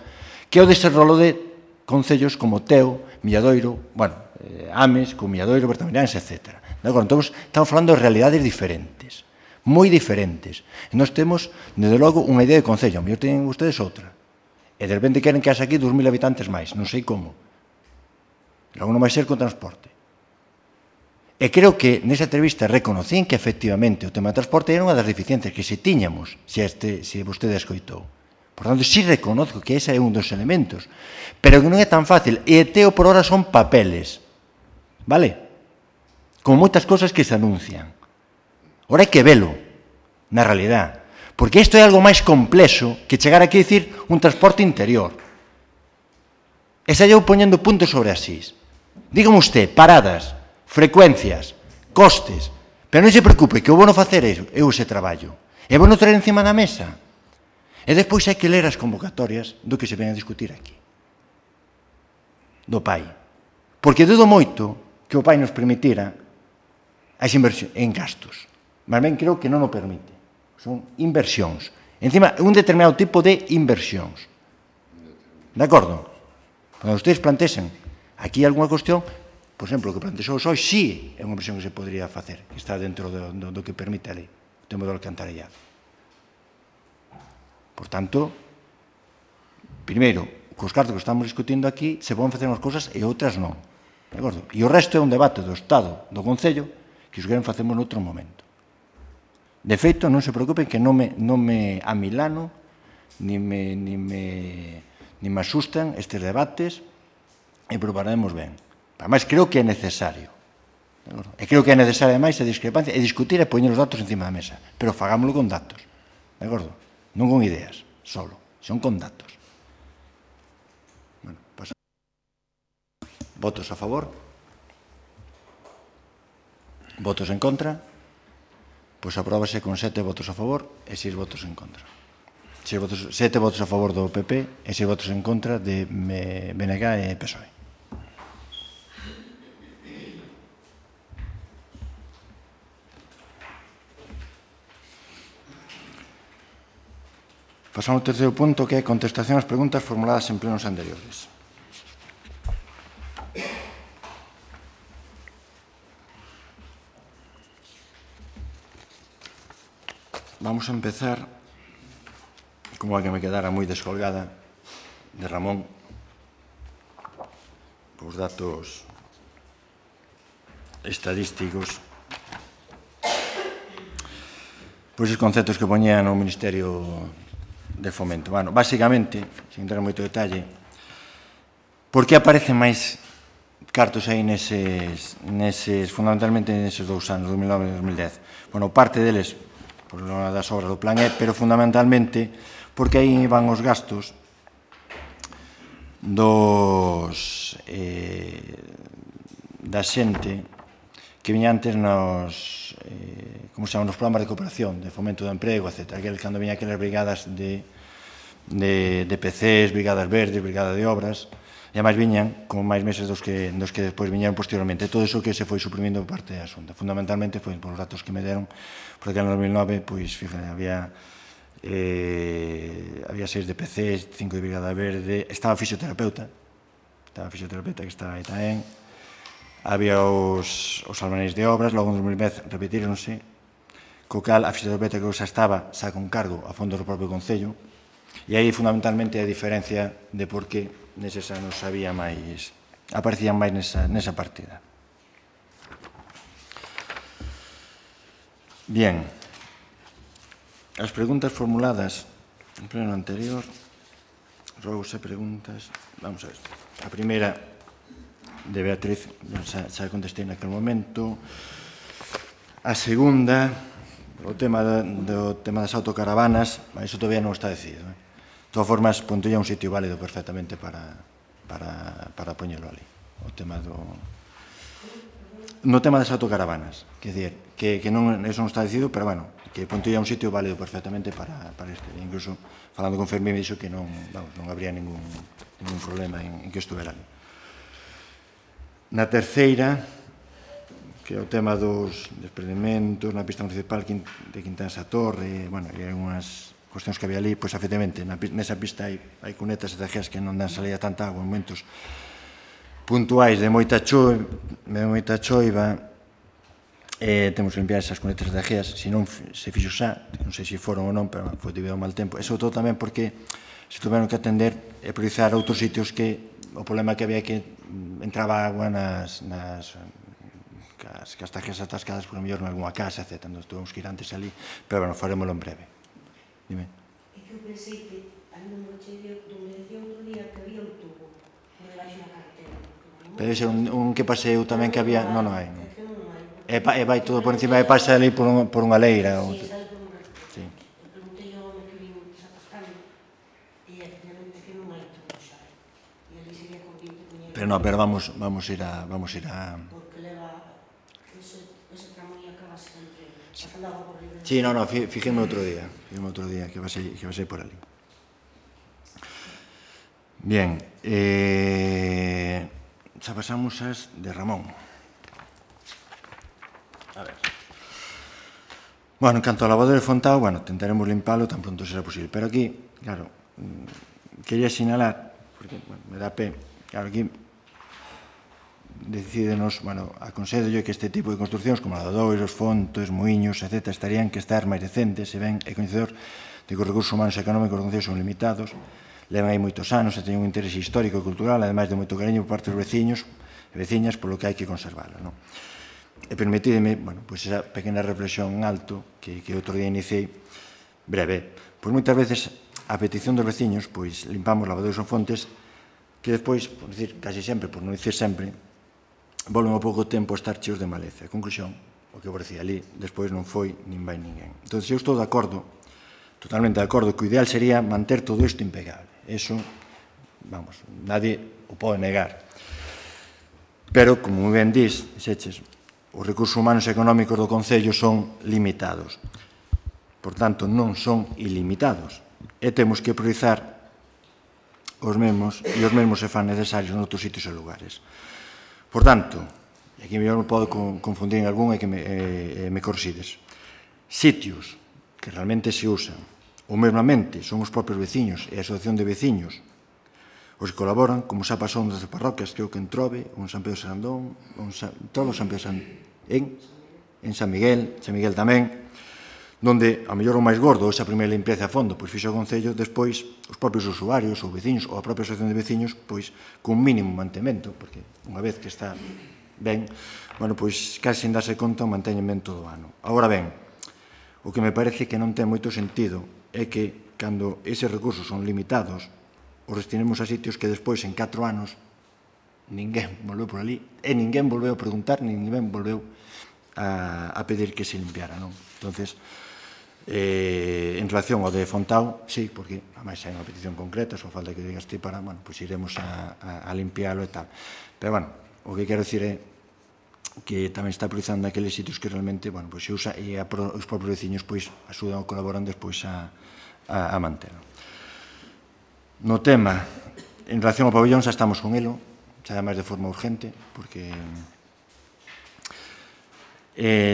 que é o desarrollo de concellos como Teo, Milladoiro, bueno, Ames, con Milladoiro, Bertamiráns, etc. Entón, estamos falando de realidades diferentes, moi diferentes. E nós temos, desde logo, unha idea de concello, a mellor teñen ustedes outra. E de repente queren que haxe aquí 2.000 habitantes máis, non sei como. Logo non vai ser con transporte. E creo que nesa entrevista reconocín que efectivamente o tema do transporte era unha das deficiencias que se tiñamos, se vostede escoitou. Por tanto, sí reconozco que ese é un dos elementos, pero que non é tan fácil. E teo por hora son papeles, vale? Como moitas cosas que se anuncian. Ora hai que velo, na realidade. Porque isto é algo máis complexo que chegar aquí a dicir un transporte interior. E xa llevo poñendo puntos sobre as is. Dígame usted, paradas, frecuencias, costes, pero non se preocupe que eu vou non facer eu ese traballo. E vou non traer encima da mesa. E despois hai que ler as convocatorias do que se ven a discutir aquí. Do PAI. Porque dudo moito que o PAI nos permitira as inversións en gastos. Mas ben creo que non o permite. Son inversións. Encima, un determinado tipo de inversións. De acordo? Cando ustedes plantexen aquí algunha cuestión, por exemplo, o que plantexou hoxe, sí é unha inversión que se podría facer, que está dentro do que permite a lei, o tema do alcantarillado. Por tanto, primeiro, cos cartos que estamos discutindo aquí, se poden facer unhas cousas e outras non. De acordo? E o resto é un debate do Estado, do Concello, que os queren facemos noutro momento. De feito, non se preocupen que non me amilano, ni me asustan estes debates, e probaremos ben. Ademais, creo que é necesario. E creo que é necesaria máis a discrepancia e discutir e poñer os datos encima da mesa. Pero fagámoslo con datos. De acordo? Non con ideas, solo. Son con datos. Bueno, pasamos. Votos a favor? Votos en contra? Pois apróbase con 7 votos a favor e 6 votos en contra. 7 votos a favor do PP e 6 votos en contra de BNG e PSOE. Pasamos ao terceiro punto, que é contestación ás preguntas formuladas en plenos anteriores. Vamos a empezar, como a que me quedara moi descolgada, de Ramón, os datos estadísticos, pois os conceptos que poñía no Ministerio de Fomento. Bueno, basicamente, sin entrar en moito detalle, por que aparecen máis cartos aí fundamentalmente neses 2 anos, 2009 e 2010? Bueno, parte deles por das obras do Plan E, pero fundamentalmente porque aí van os gastos da xente que viña antes nos programas de cooperación, de fomento do emprego, etc. Cando viña aquelas brigadas de PCs, brigadas verdes, brigada de obras, e ademais viñan como máis meses dos que despois viñeron posteriormente. Todo iso que se foi suprimindo por parte da Xunta. Fundamentalmente foi por os datos que me deron, porque en 2009, pois, fíjate, había 6 de PCs, 5 de brigada verde, estaba a fisioterapeuta que está aí tamén, había os albaneis de obras, logo en 2010 repetíronse, co cal a fisioterapeuta que xa estaba xa con cargo a fondo do propio Concello, e aí fundamentalmente a diferencia de por que neses anos aparecían máis nesa partida. Bien, as preguntas formuladas en pleno anterior, rogos e preguntas, vamos a ver, a primeira de Beatriz, xa contestei naquele momento. A segunda, o tema das autocaravanas, iso todavía non está decidido. De todas formas, Pontolla é un sitio válido perfectamente para poñelo ali. O tema no tema das autocaravanas, quer dizer, que eso non está decidido, pero, bueno, que Pontolla é un sitio válido perfectamente para este. Incluso, falando con Fermín, me dixo que non habría ningún problema en que estuvera ali. Na terceira, que é o tema dos desprendementos na pista municipal de Quintansa Torre, bueno, e unhas cuestións que había ali, pois, efectivamente, nesa pista hai cunetas e tejeas que non dan salida tanta agua en momentos puntuais de moita choiva, temos que limpiar esas cunetas de tejeas, se non se fixo xa, non sei se foron ou non, pero foi debido ao mal tempo, e sobre todo tamén porque se tuveron que atender e priorizar outros sitios que o problema que había que entraba agua nas casas atascadas por mellor en algunha casa, etc. Entón, tuvemos que ir antes ali, pero, bueno, farémoslo en breve. Dime. É que eu pensei que, ainda non cheguei, donde decía outro día que había un tubo por debaixo da carretera. Debe ser un que paseu tamén que había... Non, non hai. É que non hai. E vai todo por encima e pasa ali por unha leira. Sí, sale por unha leira. Sí. Eu preguntei ao home que vin desatascando e efectivamente que non hai tubo xa. E ali sería conveniente poñer... Pero non, pero vamos ir a... Porque leva ese tramo e acaba sempre pasando agua por libre. Sí, non, fíjenme outro día que va a ser por ali. Bien, xa pasamos as de Ramón. A ver. Bueno, en canto ao lavadero de Fontao, bueno, tentaremos limpalo tan pronto será posible. Pero aquí, claro, quería sinalar, porque, bueno, me dá pé, claro, aquí decídenos, bueno, aconsello que este tipo de construccións como lavadoiros, fontes, moiños, etc., estarían que estar máis decentes, se ven, é coñecedor de que os recursos humanos e económicos dos concellos son limitados, levan aí moitos anos e teñen un interese histórico e cultural, ademais de moito cariño por parte dos veciños e veciñas, polo que hai que conservalo, non? E permitideme, bueno, pois esa pequena reflexión en alto que outro día iniciei, breve. Pois moitas veces, a petición dos veciños, pois limpamos lavadoiros ou fontes que despois, por dicir casi sempre, por non dicir sempre, volven ao pouco tempo a estar cheos de maleza. A conclusión, o que vos decía ali, despois non foi nin vai ninguén. Entón, eu estou de acordo, totalmente de acordo, que o ideal sería manter todo isto impecable. Eso, vamos, nadie o pode negar. Pero, como ben dís, xeches, os recursos humanos e económicos do Concello son limitados. Por tanto, non son ilimitados. E temos que priorizar os mesmos, e os mesmos se fan necesarios noutros sitios e lugares. Por tanto, e aquí mellor me podo confundir en algún e que me corrixides, sitios que realmente se usan, ou mesmamente son os propios veciños e a asociación de veciños os que colaboran, como xa pasou nas parroquias, creo que en Trove, ou en San Pedro Sarandón, todos San Pedro en San Miguel tamén, donde, a mellor o máis gordo, esa primeira limpieza a fondo, pois fixo o Concello, despois os propios usuarios ou veciños, ou a propia asociación de veciños, pois, con mínimo mantemento, porque unha vez que está ben, bueno, pois, casi sin darse conta, o manteñen ben todo o ano. Agora ben, o que me parece que non ten moito sentido é que, cando eses recursos son limitados, os destinemos a sitios que despois, en 4 anos, ninguén volveu por ali, e ninguén volveu a preguntar, ninguén volveu a pedir que se limpiara, non? Entonces, en relación ao de Fontao, sí, porque, ademais, hai unha petición concreta, só falta que digas ti para, bueno, pois iremos a limpialo e tal. Pero, bueno, o que quero dicir é que tamén está priorizando aqueles sitios que realmente, bueno, pois se usa e os propios veciños, pois, axudan ou colaboran despois a manterlo. No tema, en relación ao pabellón, xa estamos con elo, xa ademais de forma urgente, porque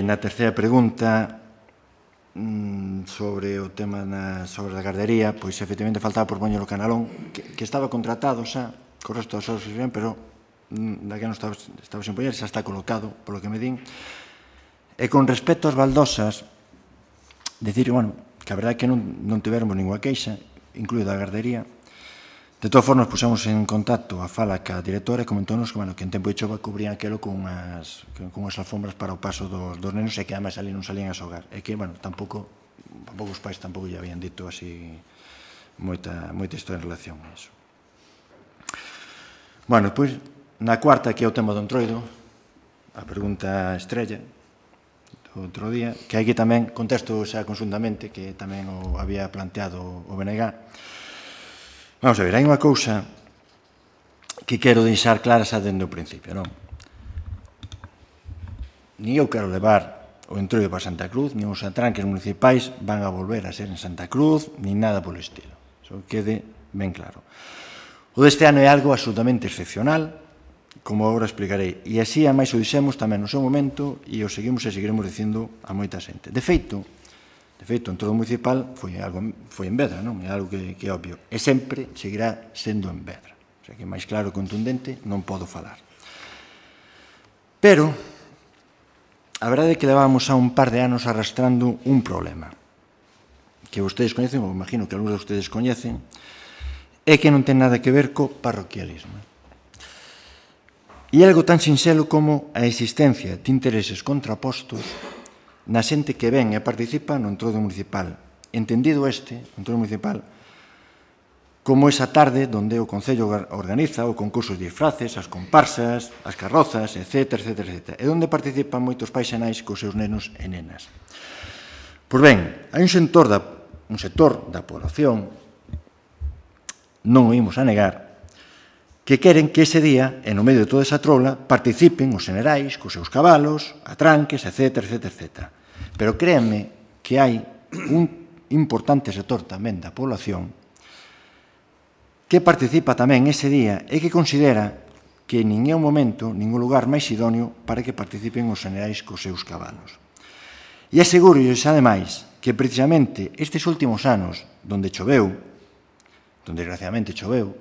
na terceira pregunta sobre o tema sobre a gardería, pois efectivamente faltaba por poñer o canalón, que estaba contratado xa, co resto das obras, pero daquela non estaba sen poñer, xa está colocado, polo que me din. E con respecto ás baldosas, decir, bueno, que a verdade é que non tivermos ninguna queixa, incluída a gardería. De todas formas, pusemos en contacto a fala ca directora e comentónos que, bueno, que en tempo de chova cubrían aquelo con unhas alfombras para o paso dos nenos e que además ali non salían a xogar. E que, bueno, tampouco os pais tampouco lle habían dito así moita historia en relación a eso. Bueno, depois, na cuarta, que é o tema do entroido, a pregunta estrella do outro día, que aquí tamén contesto xa consuntamente, que tamén o había planteado o BNG. Vamos a ver, hai unha cousa que quero deixar clara xa dende o principio, non? Ni eu quero levar o entroido para Santa Cruz, ni os atranques municipais van a volver a ser en Santa Cruz, ni nada polo estilo. Eso quede ben claro. O deste ano é algo absolutamente excepcional, como agora explicarei. E así, a máis o dixemos tamén no seu momento, e o seguimos e seguiremos dicindo a moita xente. De feito, o entroido municipal foi en Vedra, non? É algo que é obvio. E sempre seguirá sendo en Vedra. O sea, que máis claro e contundente non podo falar. Pero, a verdade é que levábamos a un par de anos arrastrando un problema que vostedes coñecen, ou imagino que algúns de vostedes coñecen, é que non ten nada que ver co parroquialismo. E algo tan sinxelo como a existencia de intereses contrapostos na xente que ven e participa no entroido municipal, entendido este, o entroido municipal, como esa tarde donde o Concello organiza o concurso de disfraces, as comparsas, as carrozas, etc., etc., etc., e onde participan moitos pais e nais cos seus nenos e nenas. Pois ben, hai un sector da población, non o imos a negar, que queren que ese día, e no medio de toda esa trola, participen os xenerais cos seus cabalos, atranques, etc., etc., etc. Pero créanme que hai un importante sector tamén da población que participa tamén ese día e que considera que nin é un momento, ningún lugar máis idóneo para que participen os xenerais cos seus cabalos. E aseguro-lles, ademais, que precisamente estes últimos anos, donde choveu, donde desgraciadamente choveu,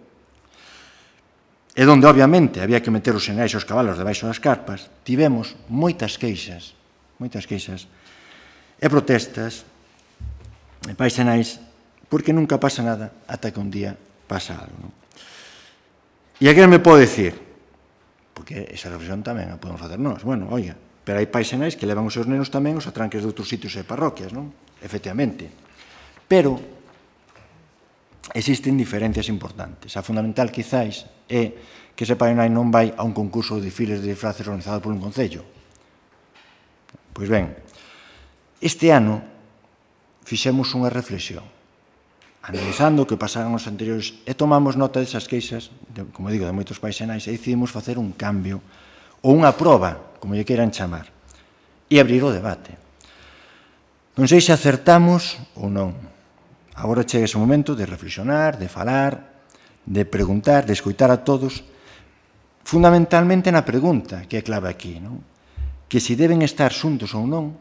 e donde, obviamente, había que meter os xenerais e os cabalos debaixo das carpas, tivemos moitas queixas e protestas e pais e nais, porque nunca pasa nada ata que un día pasa algo. Non? E aquí me pode dicir, porque esa reflexión tamén a podemos facer nós, bueno, oiga, pero hai pais e nais que levan os seus nenos tamén os atranques de outros sitios e parroquias, non? Efectivamente. Pero existen diferencias importantes. A fundamental, quizáis, é que ese pai e nai non vai a un concurso de desfiles de disfraces organizado por un concello. Pois ben, este ano fixemos unha reflexión, analizando o que pasaron os anteriores, e tomamos nota desas queixas, como digo, de moitos pais e nais, e decidimos facer un cambio, ou unha proba, como lle queiran chamar, e abrir o debate. Non sei se acertamos ou non. Agora chega ese momento de reflexionar, de falar, de preguntar, de escoitar a todos, fundamentalmente na pregunta que é clave aquí, non? Que se deben estar xuntos ou non,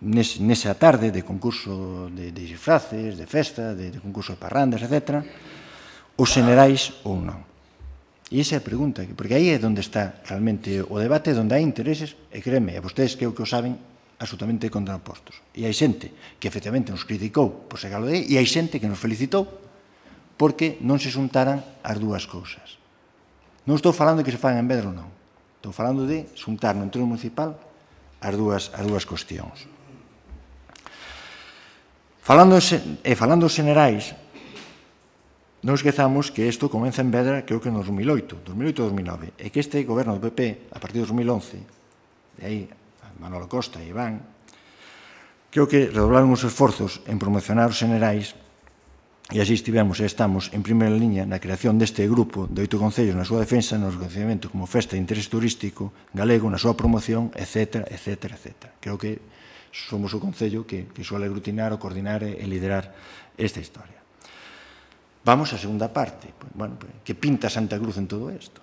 nesa tarde de concurso de disfraces, de festa, de concurso de parrandas, etc., os xenerais ou non. E esa é a pregunta, porque aí é onde está realmente o debate, onde hai intereses, e créeme, e vostedes creo que o saben, absolutamente contrapostos. E hai xente que efectivamente nos criticou por ser galo de aí, e hai xente que nos felicitou porque non se xuntaran as dúas cousas. Non estou falando de que se fagan en Vedra ou non. Estou falando de xuntar no entroido municipal as dúas cuestións. Falando dos xenerais, non esquezamos que isto comeza en Vedra, creo que en 2008 ou 2009, e que este goberno do PP, a partir de 2011, de aí Manolo Costa e Iván, creo que redoblaron os esforzos en promocionar os xenerais, e así estivemos e estamos en primeira liña na creación deste grupo de 8 concellos na súa defensa, no reconhecimento como festa de interés turístico galego, na súa promoción, etc., etc., etc. Creo que somos o concello que suele aglutinar, o coordinar e liderar esta historia. Vamos á segunda parte. Bueno, que pinta Santa Cruz en todo isto?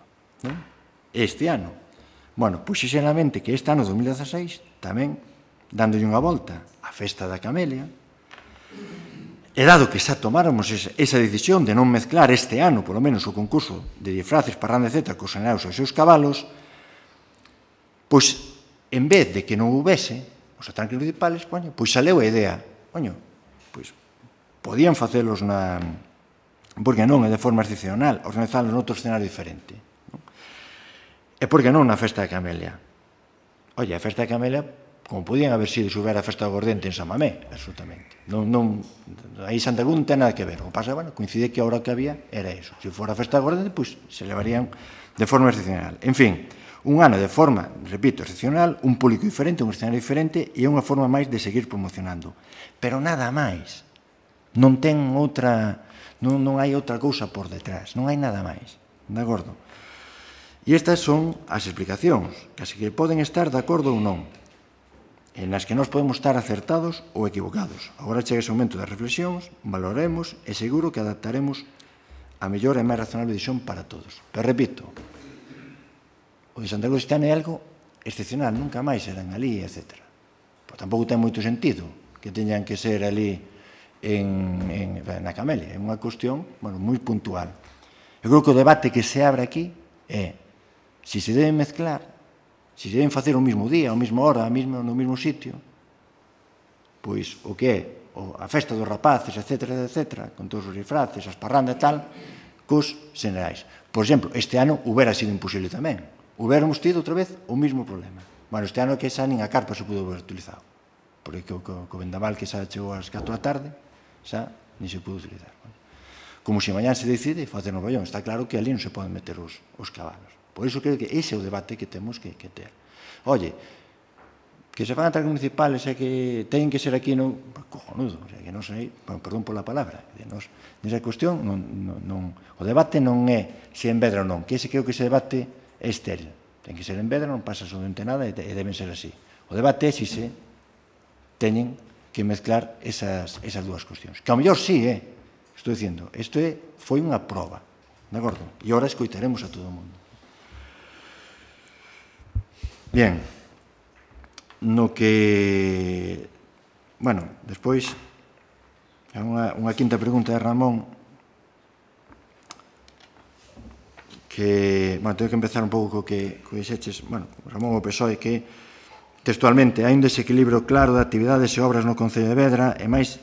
Este ano. Bueno, pois xeralmente que este ano, 2016, tamén, dándolle unha volta á festa da Camelia, e dado que xa tomáramos esa decisión de non mezclar este ano, polo menos, o concurso de disfraces, parrandas, etc., cos xenerais e os seus cabalos, pois, en vez de que non houvese os atranques municipales, pois saleu a idea, pois podían facelos porque non é de forma excepcional, organizalos noutro escenario diferente. E por que non na festa da Camelia? Oye, a festa da Camelia, como podían haber sido se houbera a festa do Gordente en San Mamé, absolutamente. Aí Santa Cruz non ten nada que ver. O que pasa, coincide que a hora que había era eso. Se fora a festa do Gordente, pois se levarían de forma excepcional. En fin, un ano de forma, repito, excepcional, un público diferente, un escenario diferente, e unha forma máis de seguir promocionando. Pero nada máis. Non ten outra, non hai outra cousa por detrás, non hai nada máis. De acordo? E estas son as explicacións, que así que poden estar de acordo ou non, en as que nós podemos estar acertados ou equivocados. Agora chega ese momento das reflexións, valoremos e seguro que adaptaremos a mellor e máis razonable decisión para todos. Pero repito, o de Santa Cruz este ano é algo excepcional, nunca máis serán ali, etc. Pois tampouco ten moito sentido que teñan que ser ali na Camelia. É unha cuestión moi puntual. Eu creo que o debate que se abre aquí é se se deben mezclar, se se deben facer o mesmo día, a mesma hora, no mesmo sitio, pois o que é a festa dos rapaces, etc., con todos os disfraces, as parrandas e tal, cos xenerais. Por exemplo, este ano hubiera sido imposible tamén. Hubiéramos tido outra vez o mismo problema. Bueno, este ano que xa nin a carpa se pudo haber utilizado, porque co vendaval que xa chegou ás 4 da tarde, xa nin se pudo utilizar. Como se mañán se decide facer no Ballón, está claro que ali non se poden meter os cabalos. Por iso creo que ese é o debate que temos que ter. Oye, que se fan atracos municipales e que teñen que ser aquí, non, cojonudo, o sea, que non sei, perdón pola palabra, nesa cuestión, o debate non é se en Vedra ou non, que ese creo que ese debate é estéril. Ten que ser en Vedra, non pasa absolutamente nada e deben ser así. O debate é se se teñen que mezclar esas dúas cuestións. Que ao mellor sí, estou dicindo, isto foi unha proba, de acordo? E agora escoitaremos a todo o mundo. Bien, no que, bueno, despois, unha quinta pregunta de Ramón, que, bueno, tengo que empezar un pouco co que dixeches, bueno, Ramón o PSOE, que textualmente hai un desequilibrio claro de actividades e obras no Concello de Vedra e máis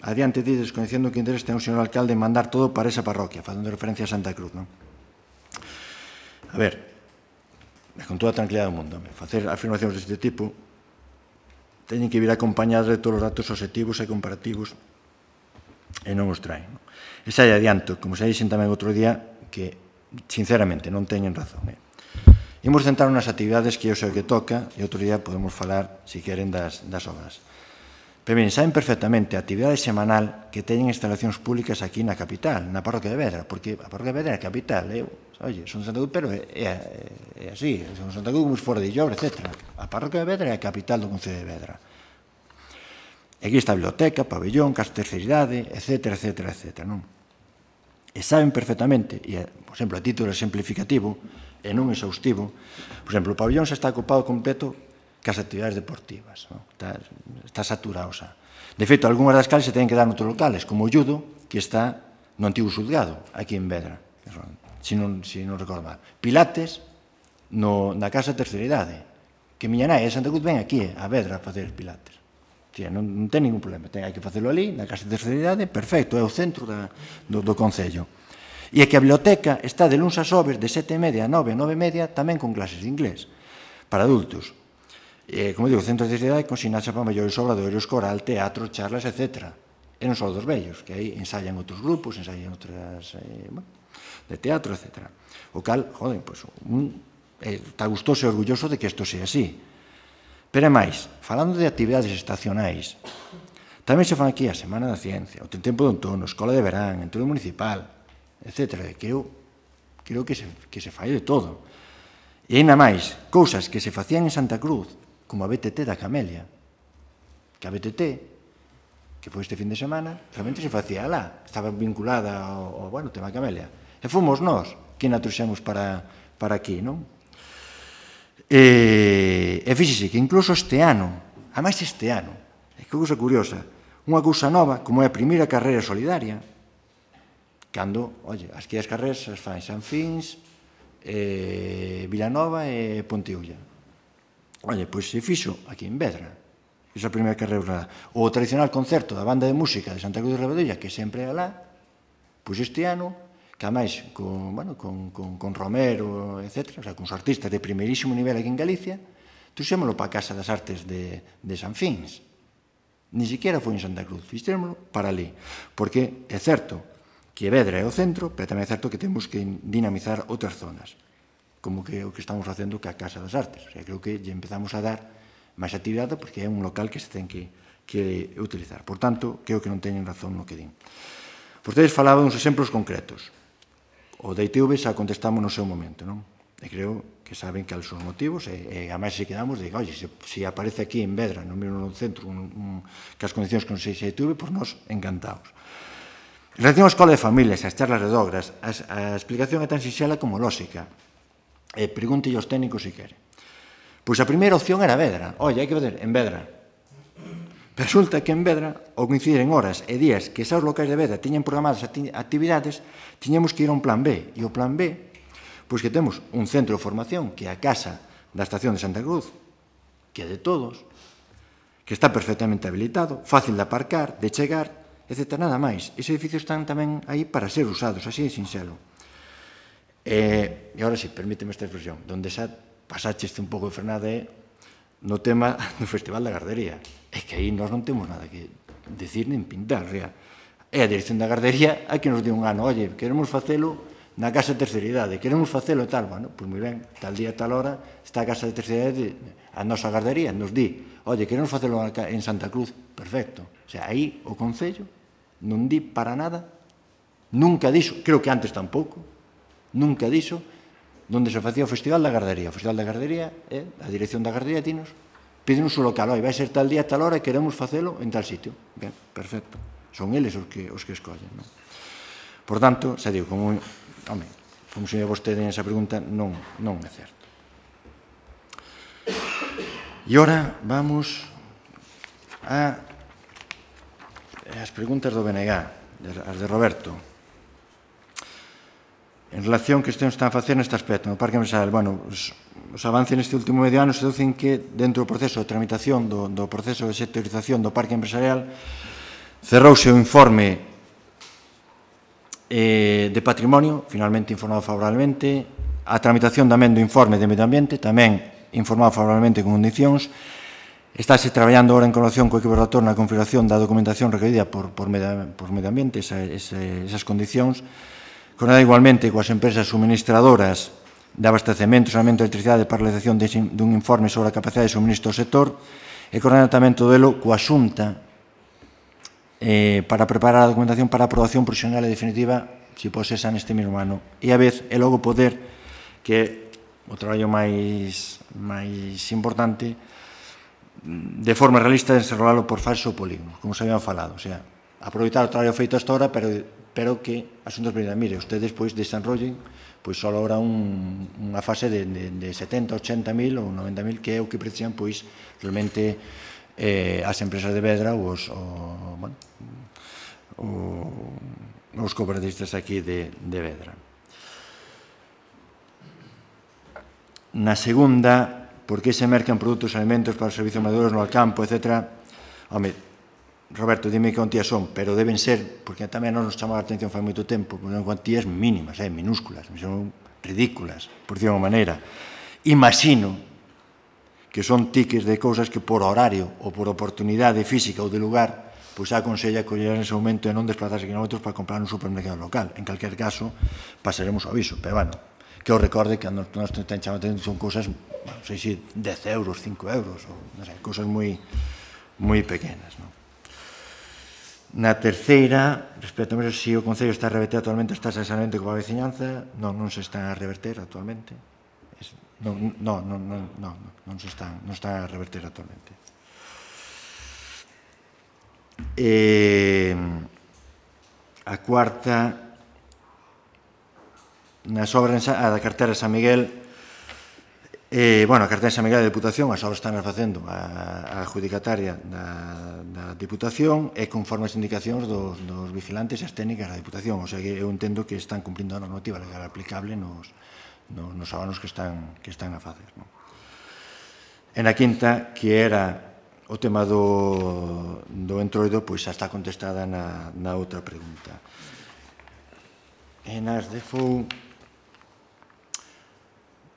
adiante di desconhecendo que interés ten o señor alcalde en mandar todo para esa parroquia, facendo referencia a Santa Cruz, non? A ver, con toda a tranquilidade do mundo, facer afirmacións deste tipo teñen que vir acompañadas de todos os datos objetivos e comparativos e non os traen. E xa adianto, como xa dixen tamén outro día, que, sinceramente, non teñen razón. Imos centrar nas actividades que eu sei que toca e outro día podemos falar, se queren, das obras. Pero, ben, saben perfectamente a actividade semanal que teñen instalacións públicas aquí na capital, na parroquia de Vedra, porque a parroquia de Vedra é a capital, oye, son de Santa Cruz, pero é así, son de Santa Cruz como se fora de Illobre, etc. A parroquia de Vedra é a capital do Concello de Vedra. E aquí está a biblioteca, pabellón, casa de terceira idade, etc., non? E saben perfectamente, e, por exemplo, a título exemplificativo, e non exhaustivo, por exemplo, o pabellón xa está ocupado completo cas actividades deportivas, está saturado xa. De feito, algunhas das cales se teñen que dar noutros locales, como o judo, que está no antigo xulgado, aquí en Vedra, se non recordo mal. Pilates, na casa de terceira idade, que miña nai de Santa Cruz ven aquí, a Vedra, a facer pilates. Non ten ningún problema, hai que facelo ali, na casa de terceira idade, perfecto, é o centro do Concello. E é que a biblioteca está de luns a xoves, de 7:30 a 9, 9:30, tamén con clases de inglés, para adultos. Como digo, centros de idade con sinapsa para maiores, obradoiros, coral, teatro, charlas, etc. E non só dos vellos, que aí ensayan outros grupos, ensayan outras de teatro, etc. O cal, joder, pois, está gustoso e orgulloso de que isto sea así. Pero é máis, falando de actividades estacionais, tamén se fan aquí a Semana da Ciencia, o tempo de outono, Escola de Verán, Entroido Municipal, etc. Que eu creo que se fai de todo. E ainda máis, cousas que se facían en Santa Cruz, como a BTT da Camelia, que a BTT, que foi este fin de semana, realmente se facía lá, estaba vinculada ao tema da Camelia. E fomos nós que na trouxemos para aquí, non? E fíxese que incluso este ano, ademais este ano, é que cousa curiosa, unha cousa nova, como é a primeira carreira solidaria, cando, oye, as que as carreiras as fan San Fins, Vilanova e Ponteulla. Oye, pois se fixo aquí en Vedra, esa primeira carreira. O tradicional concerto da banda de música de Santa Cruz de Rabadolla, que sempre é alá, pois este ano, que ademais con Romero, etc., o sea, con os artistas de primeirísimo nivel aquí en Galicia, trouxémolo para a Casa das Artes de San Fins. Ni siquiera foi en Santa Cruz, fixémolo para ali. Porque é certo que Vedra é o centro, pero tamén é certo que temos que dinamizar outras zonas, como que o que estamos facendo que a Casa das Artes. O sea, creo que lle empezamos a dar máis actividade porque é un local que se ten que utilizar. Por tanto, creo que non teñen razón no que din. Vostedes falaban uns exemplos concretos. O da ITV xa contestamos no seu momento, non? E creo que saben que son os motivos e a máis se quedamos de, oye, se aparece aquí en Vedra, no mesmo centro, que as condicións que non sei se ITV, pois nós encantados. En relación á escola de familias, as charlas de dogras, a explicación é tan sinxela como lóxica. Pregunte aos técnicos se quere. Pois a primeira opción era Vedra. Oye, hai que ver en Vedra. Resulta que en Vedra, ao coincidir en horas e días que xa os locais de Vedra tiñan programadas actividades, tiñamos que ir a un plan B. E o plan B, pois que temos un centro de formación, que é a Casa da Estación de Santa Cruz, que é de todos, que está perfectamente habilitado, fácil de aparcar, de chegar, etc. Nada máis. Ese edificio están tamén aí para ser usados, así de sinxelo. E agora sí, permíteme esta expresión, donde xa pasaches un pouco de frenada é no tema do Festival da Gardería. É que aí nós non temos nada que decir nin pintar. É a dirección da Gardería a que nos di un ano, oye, queremos facelo na casa de terceira idade, queremos facelo tal, bueno, pois moi ben, tal día, tal hora, está a casa de terceira idade, a nosa Gardería nos di, oye, queremos facelo en Santa Cruz, perfecto. O sea, aí o Concello non di para nada, nunca dixo, creo que antes tampouco, nunca dixo onde se facía o Festival da Gardería. O Festival da Gardería, a dirección da Gardería pídenos o local, vai ser tal día, tal hora e queremos facelo en tal sitio. Ben, perfecto. Son eles os que escollen. Non? Por tanto, xa digo, como se me vostede esa pregunta, non é certo. E ora vamos as preguntas do BNG, as de Roberto. En relación que están a facer neste aspecto, no Parque Empresarial, os avances neste último medio ano se deducen que dentro do proceso de tramitación do proceso de sectorización do Parque Empresarial cerrouse o informe de patrimonio, finalmente informado favorablemente, a tramitación tamén do informe de medio ambiente, tamén informado favorablemente con condicións. Estáse traballando agora en colaboración co equipo relator na configuración da documentación requerida por medio ambiente, esas condicións, coordinada igualmente coas empresas suministradoras de abastecemento e saneamento de electricidade para a realización dun informe sobre a capacidade de suministro do sector e coordinada tamén todo elo coa Xunta para preparar a documentación para a aprobación provisional e definitiva, se posesa neste mesmo ano. E a vez, e logo poder, que o traballo máis importante, de forma realista desenrolalo por fases ou polígonos, como se habían falado. O sea, aproveitar o traballo feito hasta ahora, pero que asuntos primeros, mire, ustedes pois desenrollen pois só ahora unha fase de 70, 80 mil ou 90 mil, que é o que precisan pois realmente as empresas de Vedra ou os cooperatistas aquí de Vedra. Na segunda, por que se mercan produtos e alimentos para os servizos maduros no campo, etc. Home, Roberto, dime que cuantías son, pero deben ser, porque tamén nos chamou a atención fai moito tempo, porque son cuantías mínimas, minúsculas, son ridículas, por decir unha maneira. Imagino que son tickets de cousas que por horario ou por oportunidade física ou de lugar, pois a aconsella coller ese momento e non desplazarse kilómetros para comprar un supermercado local. En calquer caso, pasaremos o aviso, pero bueno, que os recorde que nos ten chamado a atención son cousas, non sei se 10 euros, 5 euros, ou non sei, cousas moi pequenas, non? Na terceira, respecto a se o Concello está a reverter actualmente as tasas de saneamento coa veciñanza, non se están a reverter actualmente. Non se están a reverter actualmente. A cuarta, nas obras da cartera de San Miguel, a cartera de San Miguel da Diputación, as obras están facendo a adjudicataria da Diputación e conforme as indicacións dos vigilantes e as técnicas da Diputación. O sea que eu entendo que están cumprindo a normativa legal aplicable nos abonos que están a facer. En a quinta, que era o tema do entroido, pois xa está contestada na outra pregunta. En as de FOU,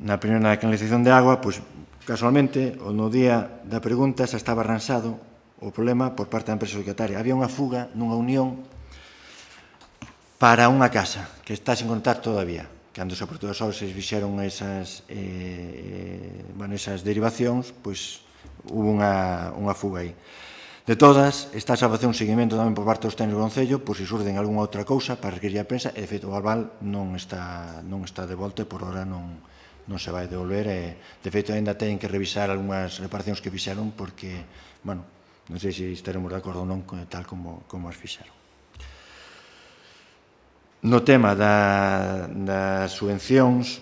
na primeira canalización de agua, pois casualmente, no día da pregunta xa estaba arranxado o problema por parte da empresa adjudicataria. Había unha fuga nunha unión para unha casa que está sin contar todavía. Cando se apertou as obras se fixeron esas derivacións, pois hubo unha fuga aí. De todas, está a facer un seguimento tamén por parte dos técnicos do Concello, por se surden algunha outra cousa para requerir a prensa, e de feito o aval non está de volta e por hora non se vai devolver. De feito, ainda teñen que revisar algunhas reparacións que fixeron porque, non sei se estaremos de acordo ou non tal como as fixeron. No tema das subvencións,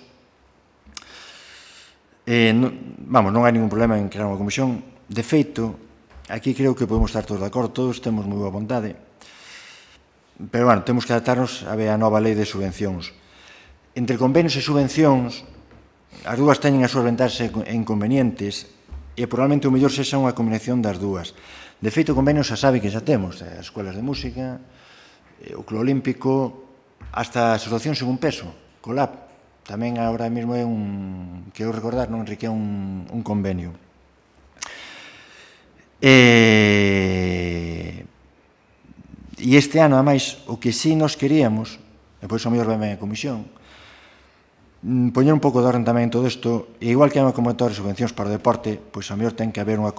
non hai ningún problema en crear unha comisión. De feito, aquí creo que podemos estar todos de acordo, todos temos moi boa vontade, pero, temos que adaptarnos a nova lei de subvencións. Entre convenios e subvencións, as dúas teñen as súas vantaxes e inconvenientes, e probablemente o mellor sexa unha combinación das dúas. De feito, o convenio xa sabe que xa temos as escolas de música, o Club Olímpico, hasta a Asociación Según Peso, COLAP, tamén agora mesmo é un, que eu recordar, non, Enrique, é un convenio. E este ano, ademais, o que sí nos queríamos, e pois o mellor vai ben a comisión, poñer un pouco de orden tamén en todo isto, e igual que hai unha convocatoria de subvencións para o deporte, pois a mellor ten que haber unha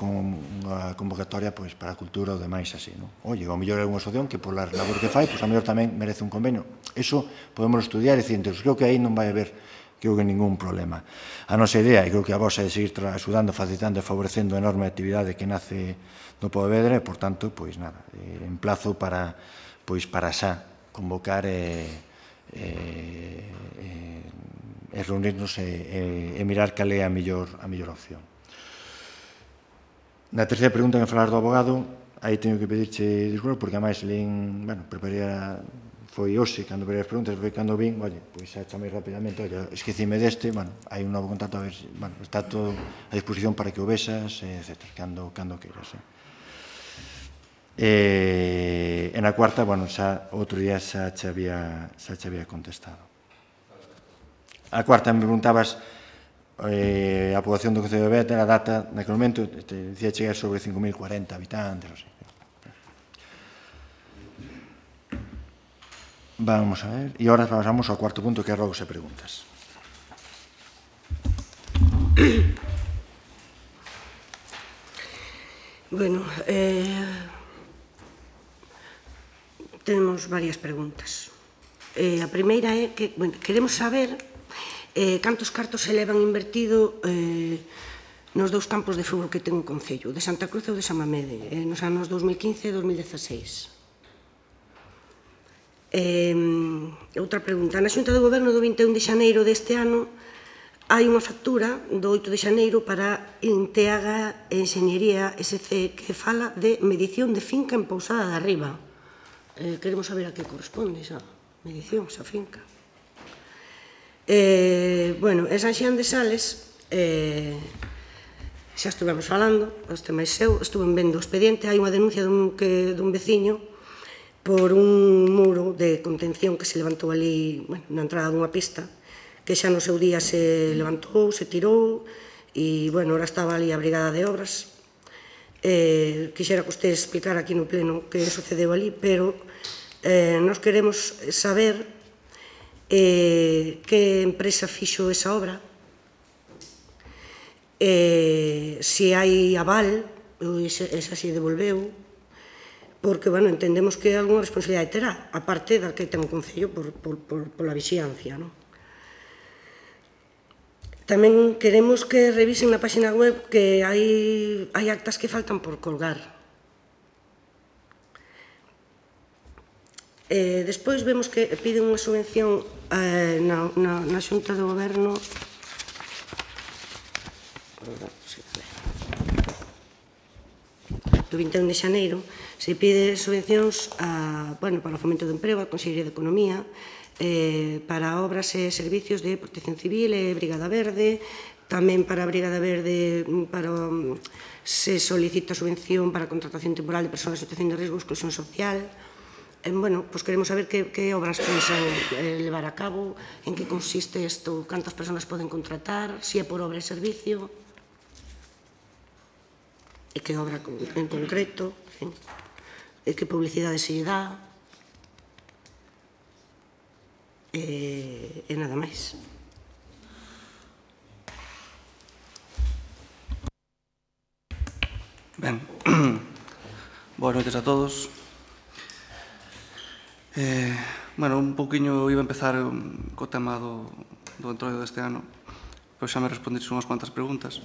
convocatoria pois, para a cultura ou demais así, non? Oye, ao mellor é unha asociación que pola labor que fai, pois a mellor tamén merece un convenio. Eso podemos estudiar e dicir, creo que aí non vai haber ningún problema. A nosa idea, e creo que a vosa é seguir axudando, facilitando e favorecendo a enorme actividade que nace no Pontevedra, e, por tanto, pois nada, emplazo para xa convocar reunirnos e mirar cal é a mellor opción. Na terceira pregunta que falar do abogado, aí teño que pedirche disculpas, porque ademais preparei foi hoxe, cando verei as preguntas, foi cando vin, pois xa chamei rapidamente, esquecime deste, hai un novo contacto, a ver, está todo a disposición para que o vexas, etc., cando queiras. E na cuarta, xa outro día xa che había contestado. A cuarta me preguntabas a poboación do Concello de Beta, a data naquele momento, decía chegar sobre 5.040 habitantes, ou así. Vamos a ver, e ahora pasamos ao cuarto punto, que é rogos e preguntas. Bueno, temos varias preguntas. A primeira é que queremos saber cantos cartos se levan invertido nos dous campos de fútbol que ten o Concello, de Santa Cruz e de San Mamede, nos anos 2015 e 2016. Outra pregunta. Na Xunta de Goberno do 21 de xaneiro deste ano hai unha factura do 8 de xaneiro para Inteaga Enxeñería SC que fala de medición de finca en Pousada de Arriba. Queremos saber a que corresponde esa medición, esa finca. Bueno, en San Xián de Sales xa estuvemos falando, este máis eu, estuve vendo o expediente, hai unha denuncia dun veciño por un muro de contención que se levantou ali na entrada dunha pista, que xa no seu día se levantou, se tirou, e, bueno, ahora estaba ali a Brigada de Obras. Quixera que usted explicara aquí no pleno que sucedeu ali, pero nos queremos saber que empresa fixo esa obra, se hai aval, esa se devolveu, porque, bueno, entendemos que algunha responsabilidade terá, aparte da que ten o Concello pola vixiancia, non? Tamén queremos que revisen na página web que hai actas que faltan por colgar. Despois vemos que piden unha subvención na Xunta de Goberno do 21 de xaneiro, se pide subvencións para o fomento do emprego, a Consellería de Economía, para obras e servicios de Protección Civil e Brigada Verde, tamén para a Brigada Verde se solicita subvención para a contratación temporal de persoas en situación de risco e exclusión social. Bueno, pois queremos saber que obras pensan levar a cabo, en que consiste isto, cantas persoas poden contratar, se é por obra e servicio, e que obra en concreto, e que publicidade se lle dá, e nada máis. Ben, boas noites a todos. Bueno, un pouquiño iba a empezar co tema do entroido deste ano, pois xa me respondeches unhas cuantas preguntas.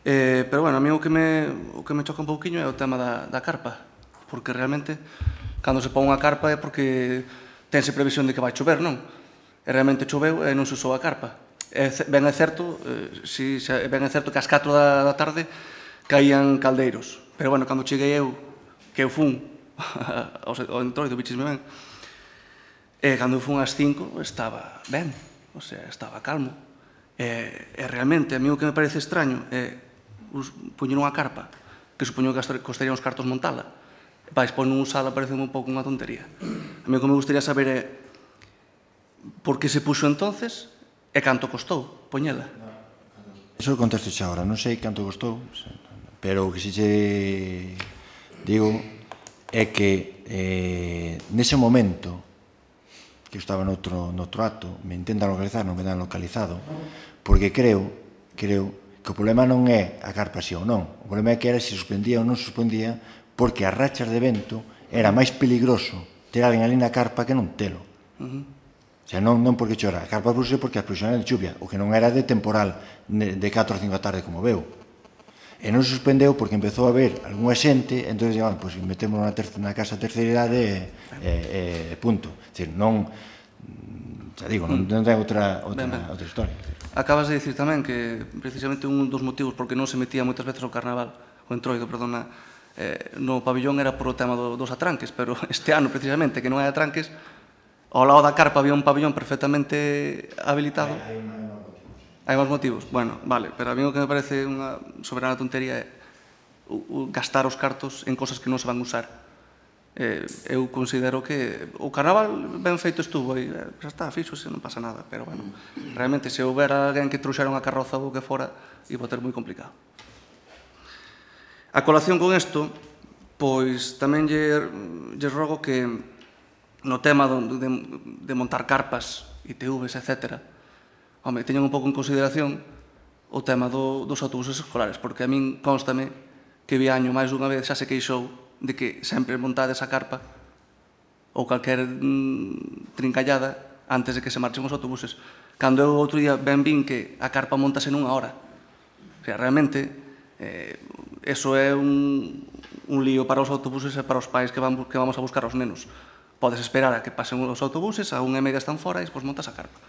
Pero, bueno, a mí o que me choca un pouquiño é o tema da carpa, porque realmente, cando se pon unha carpa é porque tense previsión de que vai chover, non? E realmente choveu e non se usou a carpa. Ben é certo que ás 4 da tarde caían caldeiros, pero, bueno, cando cheguei eu, que eu fun ao entroido, bichisme ben, e cando eu fun ás 5 estaba ben, o sea, estaba calmo. E realmente, a mí o que me parece extraño é poñer unha carpa, que supoño que costaría uns cartos montala. Vais, pois non usala parece un pouco unha tontería. A mí o que me gustaría saber é por que se puxo entonces e canto costou poñela. Eso contesto xa agora, non sei canto costou, pero o que si che digo é que nese momento que eu estaba noutro acto, me intentan localizar, non me dan localizado, porque creo que o problema non é a carpa si ou non, o problema é que era se suspendía ou non suspendía, porque as rachas de vento era máis peligroso ter alguén ali na carpa que non telo. O sea, non porque chora, a carpa puse porque as previsiones de chuvia, o que non era de temporal de 4 ou 5 da tarde como veu. E non se suspendeu porque empezou a haber algunha xente, entón, pois metemos na casa a terceira idade e punto. É dicir, non, xa digo, non ten outra historia. Acabas de dicir tamén que precisamente un dos motivos por que non se metía moitas veces o carnaval, o entroido, perdona, no pabillón era por o tema dos atranques, pero este ano precisamente que non hai atranques, ao lado da carpa había un pabillón perfectamente habilitado. Hai máis motivos? Bueno, vale, pero a mí o que me parece unha soberana tontería é gastar os cartos en cosas que non se van usar. Eu considero que o carnaval ben feito estuvo e xa está, fixose, non pasa nada, pero bueno, realmente se houbera alguén que trouxera unha carroza ou o que fora, iba a ter moi complicado. A colación con isto, pois tamén lle rogo que no tema de montar carpas, ITVs, etc., home, teñan un pouco en consideración o tema dos autobuses escolares, porque a min constame que Viaño máis dunha vez xa se queixou de que sempre montades a carpa ou calquer trincallada antes de que se marchen os autobuses. Cando eu outro día ben vin que a carpa montase nunha hora. O sea, realmente, eso é un lío para os autobuses e para os pais que vamos a buscar aos nenos. Podes esperar a que pasen os autobuses, a 1:30 están fora e despois montas a carpa.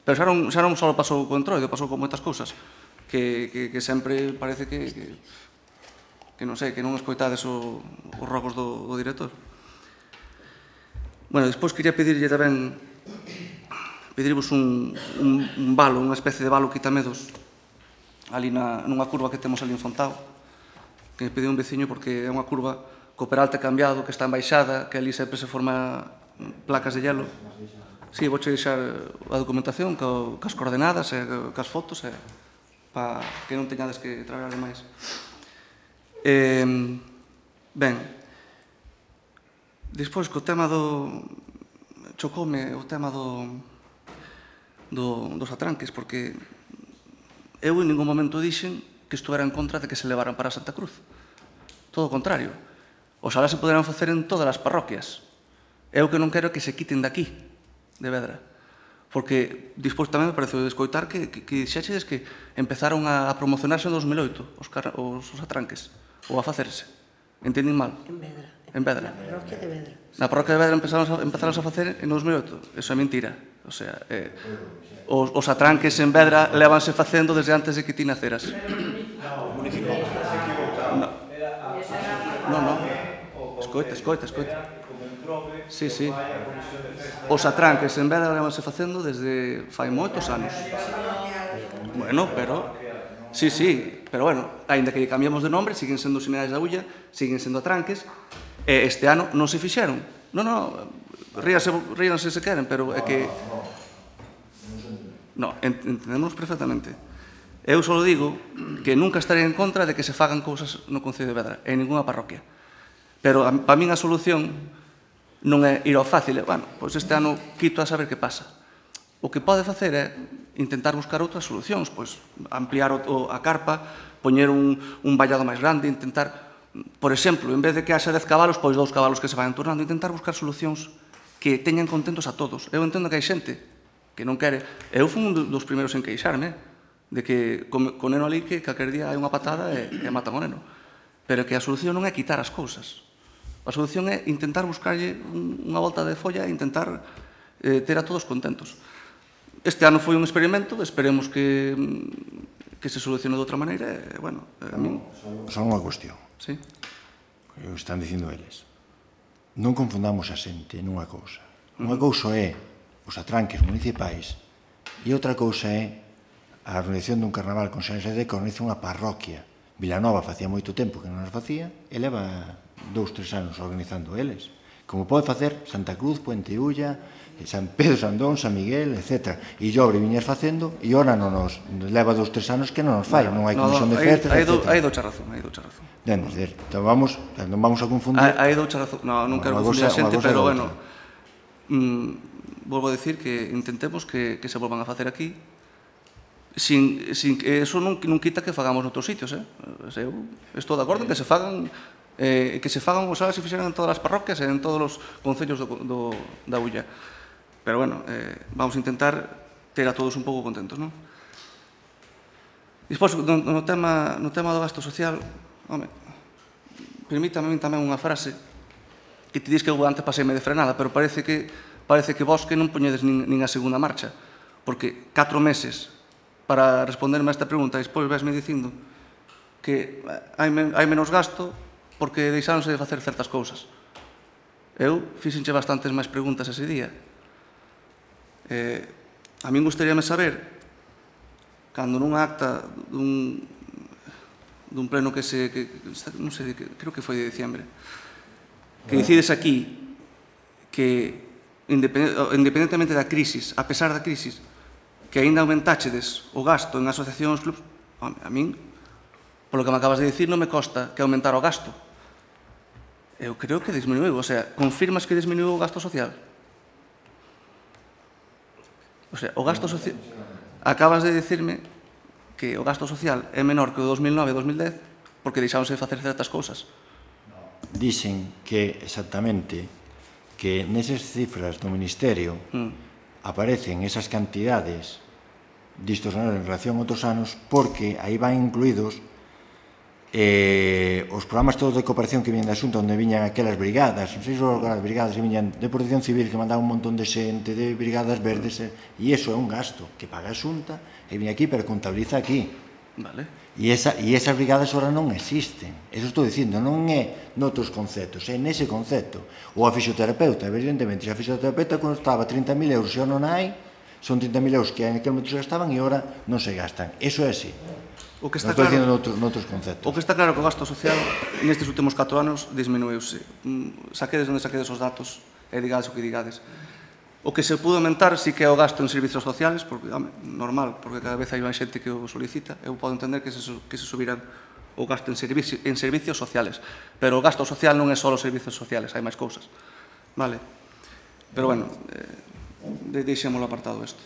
Pero xa non só pasou co entroido, pasou con moitas cousas que sempre parece que non sei, que non escoitades os rogos do director. Bueno, despois quería pedirlle tamén pedirvos un valo, unha especie de valo quitamedos ali nunha curva que temos ali en Fontao, que me pediu un veciño porque é unha curva co peralte cambiado, que está en baixada, que ali sempre se forma placas de hielo. Si, vouche deixar a documentación cas coordenadas e cas fotos para que non teñades que traballar demais. Ben, despois co tema chocoume o tema dos atranques, porque eu en ningún momento dixen que estuvera en contra de que se levaran para Santa Cruz. Todo o contrario. Oxalá se poderán facer en todas as parroquias. Eu que non quero que se quiten daqui, de Vedra. Porque despois tamén me pareceu escoitar que dixeches que empezaron a promocionarse en 2008 os atranques, ou a facerse. Entendín mal? En Vedra. En Vedra. Na parroquia de Vedra. Na parroquia de Vedra empezaron a facer en 2008. Eso é mentira. O sea, os atranques en Vedra levanse facendo desde antes de que ti naceras. Non. Escoita. Sí. Os atranques en Vedra levanse facendo desde fai moitos anos. Bueno, pero... Sí, pero bueno, ainda que cambiamos de nombre, siguen sendo Seminares da Ulla, siguen sendo atranques, e este ano non se fixeron. Non, ríanse se queren, pero é que... Non, entendemos perfectamente. Eu só digo que nunca estarei en contra de que se fagan cousas no Concello de Vedra, en ninguna parroquia. Pero para min a solución non é ir ao fácil, bueno, pois este ano quito a saber que pasa. O que pode facer é intentar buscar outras solucións, pois ampliar a carpa, poñer un vallado máis grande, intentar, por exemplo, en vez de que haxa 10 cabalos, pois 2 cabalos que se vayan turnando, intentar buscar solucións que teñan contentos a todos. Eu entendo que hai xente que non quere. Eu fui un dos primeiros en queixarme de que co neno ali que calquer día hai unha patada e matan o neno. Pero que a solución non é quitar as cousas. A solución é intentar buscarlle unha volta de folla e intentar ter a todos contentos. Este ano foi un experimento, esperemos que se solucione de outra maneira e, bueno, a min... Só unha cuestión. Sí. O están dicindo eles. Non confundamos a xente nunha cousa. Unha cousa é os atranques municipais e outra cousa é a organización dun carnaval con San Xadé que organiza unha parroquia. Vilanova facía moito tempo que non as facía e leva 2-3 anos organizando eles. Como pode facer Santa Cruz, Puente Ulla, San Pedro, Sandón, San Miguel, etc. E Llobre viñas facendo e ora non nos leva 2-3 anos que non nos fai, non hai comisión de festas, etc. Hai doucha razón. Entón non vamos a confundir. Hai doucha razón. Non quero confundir a xente, pero, bueno, volvo a decir que intentemos que se volvan a facer aquí sin que eso non quita que fagamos noutros sitios. Eu estou de acordo en que se fagan como se fixeran en todas as parroquias e en todos os concellos da Ulla. Pero, bueno, vamos a intentar ter a todos un pouco contentos, non? Despois, no tema do gasto social, home, permítame tamén unha frase que te dis que eu antes paseime de frenada, pero parece que vos que non poñedes nin a segunda marcha, porque 4 meses para responderme a esta pregunta e despois vesme dicindo que hai menos gasto porque deixáronse de facer certas cousas. Eu fixenche bastantes máis preguntas ese día. A min gustaríame saber, cando nunha acta dun pleno que non sei, creo que foi de diciembre, que decides aquí que, independentemente da crisis, a pesar da crisis, que aínda aumentáchedes o gasto en asociacións, clubs, a min, polo que me acabas de dicir, non me consta que aumentar o gasto. Eu creo que disminuiu, o sea, confirmas que disminuiu o gasto social? O sea, o gasto social... Acabas de dicirme que o gasto social é menor que o 2009 e 2010 porque deixáronse de facer certas cousas. Dixen que, exactamente, que nesas cifras do Ministerio aparecen esas cantidades distos anos en relación a outros anos porque aí van incluídos os programas todos de cooperación que viñan da Xunta onde viñan aquelas brigadas, non sei se as brigadas que viñan de protección civil que mandaban un montón de xente de brigadas verdes e iso é un gasto que paga a Xunta e viña aquí pero contabiliza aquí. Vale. E esas brigadas ahora non existen. Eso estou dicindo, non é noutros conceptos, é nese concepto. Ou a fisioterapeuta, evidentemente, se a fisioterapeuta costaba 30.000 euros e xa non hai, son 30.000 euros que en aquel momento se gastaban e ahora non se gastan. Eso é así. O que está non estou claro, dicindo noutros conceptos. O que está claro que o gasto social nestes últimos 4 anos disminuiuse. Saquedes onde saquedes os datos e digades o que digades. O que se pudo aumentar sí que é o gasto en servicios sociales, porque, normal, porque cada vez hai máis xente que o solicita. Eu podo entender que se subiran o gasto en servicios sociales. Pero o gasto social non é só os servicios sociales, hai máis cousas. Vale? Pero, bueno, deixémoslo apartado isto.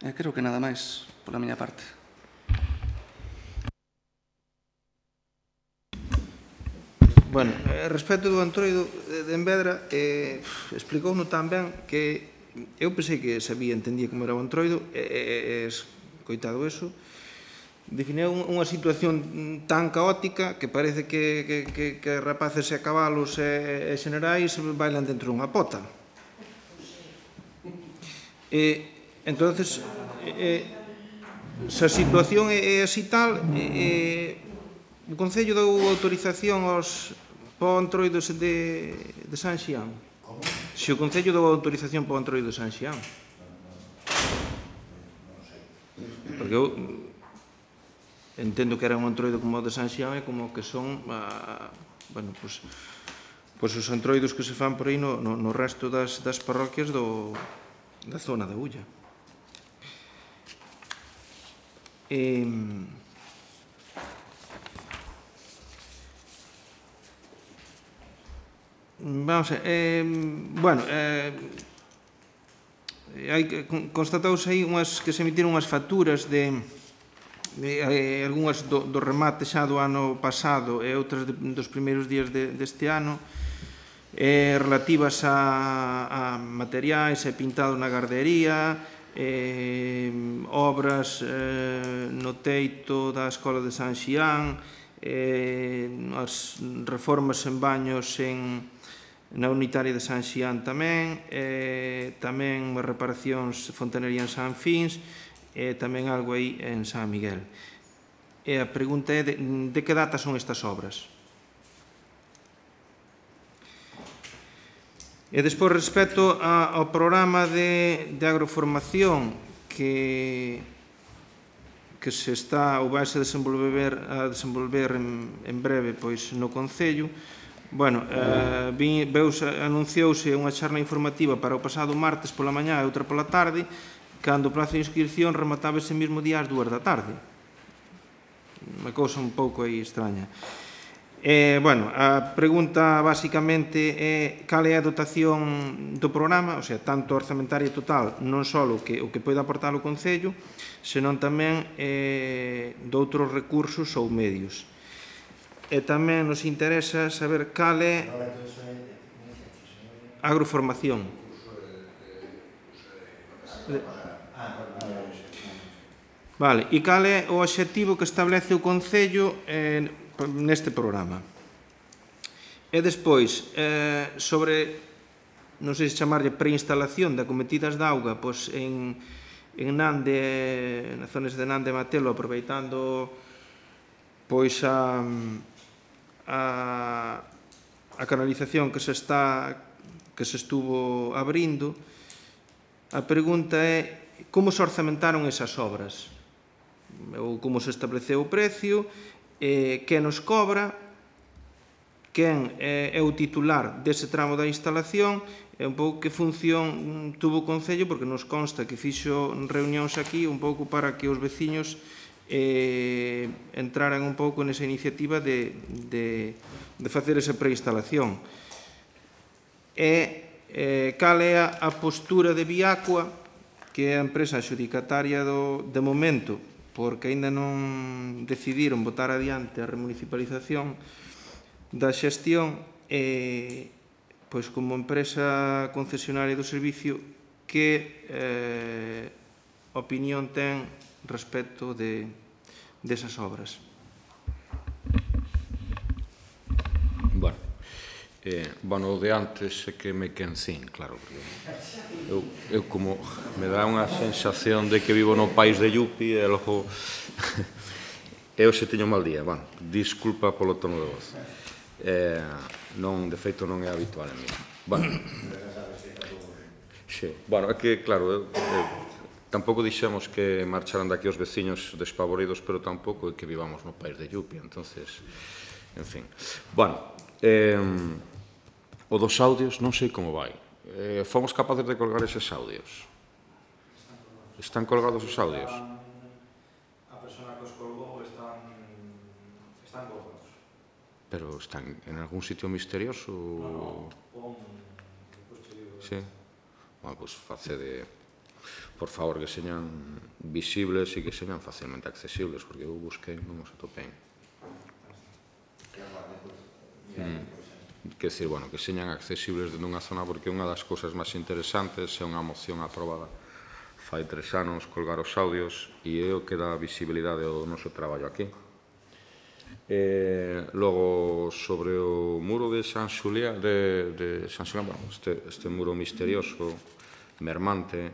Creo que nada máis pola miña parte. Bueno, respecto do Entroido de Envedra, explicouno tan ben que eu pensei que sabía, entendía como era o Entroido, coitado eso, definiu unha situación tan caótica que parece que rapaces e cabalos e xenerais bailan dentro dunha pota. Entonces, se a situación é así tal, o Concello deu autorización para o Entroido de San Xián. Se o Concello deu autorización para o Entroido de San Xián. Porque eu entendo que era un Entroido como o de San Xián e como que son, bueno, pois os Entroidos que se fan por aí no resto das parroquias da zona da Ulla. Vamos a ver, bueno, constatouse aí que se emitiron unhas facturas de algunhas do remate xa do ano pasado e outras dos primeiros días deste ano, relativas a materiais e pintado na gardería, obras no teito da Escola de San Xián, as reformas en baños na unitaria de San Xián tamén, tamén reparacións de fontanería en San Fins e tamén algo aí en San Miguel. E a pregunta é de que data son estas obras? E despois, respecto ao programa de agroformación que se está ou vai se desenvolver en breve pois no Concello, bueno, anunciouse unha charla informativa para o pasado martes pola mañá e outra pola tarde, cando o prazo de inscripción remataba ese mesmo día ás 2 da tarde. Unha cousa un pouco aí extraña. Bueno, a pregunta basicamente é cal é a dotación do programa, o sea, tanto orzamentaria total, non só o que pode aportar o Concello, senón tamén doutros recursos ou medios. E tamén nos interesa saber cal é a agroformación. Vale, e cal é o obxectivo que establece o Concello neste programa? E despois, sobre, non sei se chamarlle preinstalación de acometidas de auga, pois en Nande, nas zonas de Nande e Matelo, aproveitando pois a canalización que se estuvo abrindo, a pregunta é como se orzamentaron esas obras, ou como se estableceu o precio, quen nos cobra, quen é o titular dese tramo da instalación, e un pouco que función tuvo o Concello, porque nos consta que fixo reunións aquí un pouco para que os veciños entraran un pouco nesa iniciativa de facer esa preinstalación. E cal é a postura de Viacua, que é a empresa adxudicataria de momento, porque aínda non decidiron botar adiante a remunicipalización da xestión, pois como empresa concesionaria do servicio, que opinión ten respecto desas obras? Bueno, o de antes é que me quencín, claro, porque eu como me dá unha sensación de que vivo no país de Yupi e logo eu se teño mal día, bueno, disculpa polo tono de voz, de feito non é habitual en mí. Bueno, é que, claro, tampouco dixemos que marcharan daqui os veciños despavoridos, pero tampouco é que vivamos no país de Yupi, entonces, en fin. Bueno, o dos audios non sei como vai. Fomos capaces de colgar eses audios? Están colgados os audios? A persona que os colgou están colgados. Pero están en algún sitio misterioso? Non, sí? Bueno, pois facede, por favor, que señan visibles e que señan facilmente accesibles, porque eu busquei non os atopei. Quer dizer, bueno, que señan accesibles dentro dunha zona, porque unha das cousas máis interesantes é unha moción aprobada fai 3 anos, colgar os audios, e é o que dá visibilidade ao noso traballo aquí. Logo, sobre o muro de San Xulián, bueno, este muro misterioso, mermante,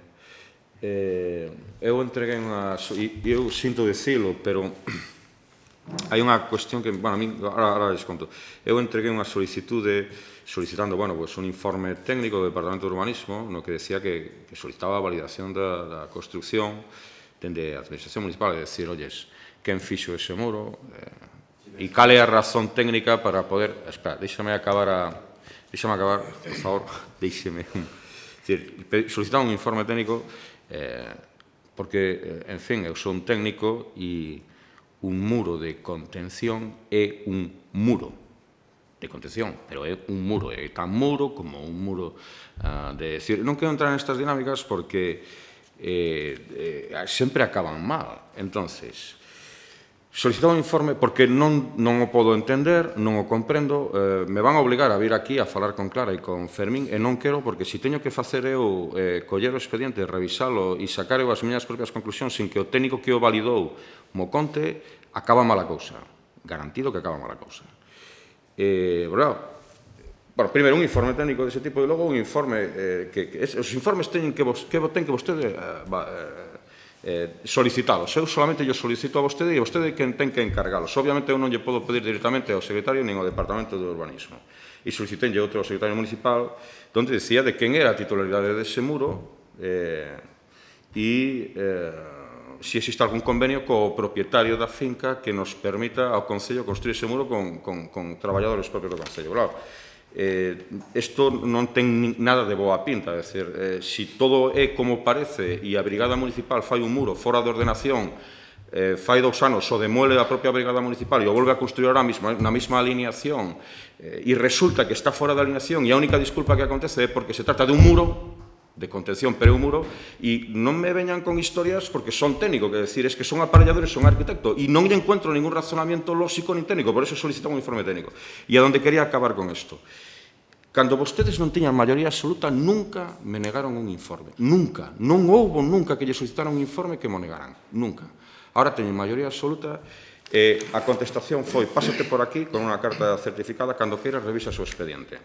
eu entreguei unhas, e eu sinto dicilo, pero hai unha cuestión que, bueno, a mí, ahora les conto, eu entreguei unha solicitando, bueno, pues un informe técnico do Departamento de Urbanismo, no que decía que solicitaba a validación da construcción dende a Administración Municipal, de decir, oyes, quen fixo ese muro, e cal é a razón técnica para poder, espera, deixame acabar, por favor, deixeme, solicitaba un informe técnico, porque, en fin, eu sou un técnico e un muro de contención é un muro de contención, pero é un muro, é tan muro como un muro de decir, non quero entrar nestas dinámicas porque sempre acaban mal. Entonces, solicitaba un informe porque non o podo entender, non o comprendo, me van a obligar a vir aquí a falar con Clara e con Fermín, e non quero, porque se teño que facer eu coller o expediente, revisalo e sacar eu as miñas propias conclusións sin que o técnico que o validou mo conte, acaba mala cousa. Garantido que acaba mala cousa. Bueno, primeiro un informe técnico dese tipo e logo un informe que os informes ten que vostede solicitalos. Eu solamente yo solicito a vostede e vostede quen ten que encargalos. Obviamente eu non lle podo pedir directamente ao secretario nin ao Departamento de Urbanismo. E solicitenlle outro ao secretario municipal onde decía de quen era a titularidade dese muro e se existe algún convenio co propietario da finca que nos permita ao Concello construir ese muro con traballadores propios do Concello. Claro, isto non ten nada de boa pinta, é dicir, se todo é como parece e a Brigada Municipal fai un muro fora de ordenación, fai 2 anos o demuele a propia Brigada Municipal e o volve a construir ahora mesmo na mesma alineación e resulta que está fora da alineación e a única disculpa que acontece é porque se trata de un muro de contención, pero é un muro, e non me veñan con historias porque son técnico, que decir, es que son aparelladores, son arquitecto, e non lle encuentro ningún razonamiento lógico nin técnico, por eso solicitan un informe técnico. E a donde quería acabar con isto. Cando vostedes non tiñan maioría absoluta, nunca me negaron un informe. Nunca. Non houbo nunca que lle solicitaran un informe que mo negaran. Nunca. Ahora teñen maioría absoluta e a contestación foi pásate por aquí con unha carta certificada, cando queiras revisa o seu expediente.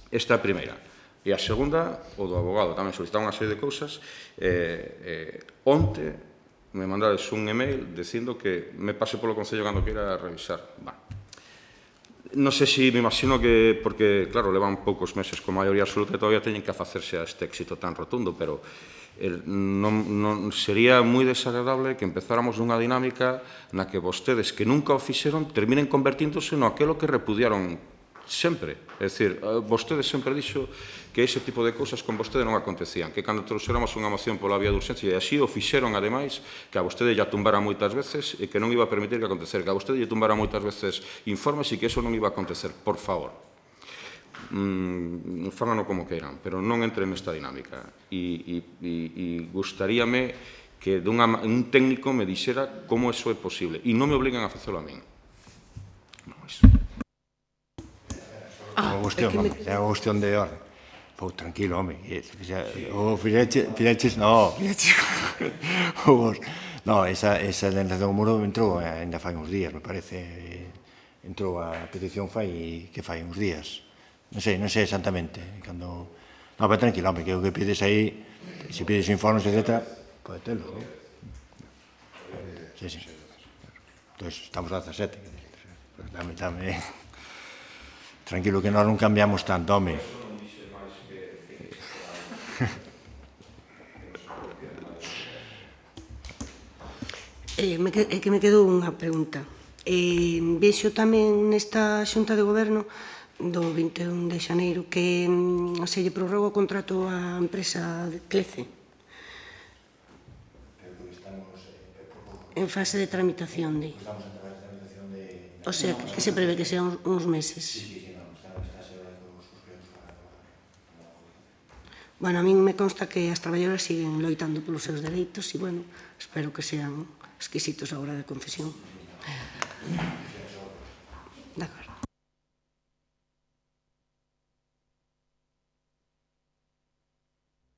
Esta é a primeira. E a segunda, o do abogado, tamén solicitaba unha serie de cousas. Onte me mandades un email dicindo que me pase polo Concello cando queira revisar. Non sei se me imagino que, porque, claro, levan poucos meses con maioría absoluta e todavía teñen que facerse a este éxito tan rotundo, pero non sería moi desagradable que empezáramos nunha dinámica na que vostedes que nunca o fixeron terminen convertíndose no aquelo que repudiaron sempre. É dicir, vostede sempre dixo que ese tipo de cousas con vostede non acontecían, que cando trouxéramos unha moción pola vía de urxencia, e así o fixeron, ademais, que a vostede lle tumbara moitas veces e que non iba a permitir que acontecer, que a vostede lle tumbara moitas veces informes e que eso non iba a acontecer. Por favor, fágano como queiran, pero non entren nesta dinámica. E gustaríame que un técnico me dixera como eso é posible, e non me obligan a facelo a min. Non é iso. É unha cuestión de orden. Pô, tranquilo, home. O fixeches, no. No, esa indemnización do muro entrou ainda fai uns días, me parece. Entrou a petición fai uns días. Non sei exactamente. No, pero tranquilo, home, que o que pides aí, se pides informes, etc., pode telo, non? Sí. Entón, estamos a 17. Dame. Tranquilo que nós non cambiamos tanto, home. É que me quedou unha pregunta. Vexo tamén nesta xunta de goberno do 21 de xaneiro que se lle prorroga o contrato á empresa Clece en fase de tramitación. O sea, que se prevé que sean uns meses. Bueno, a min me consta que as traballadoras siguen loitando polos seus dereitos e, bueno, espero que sean exquisitos a hora de concesión.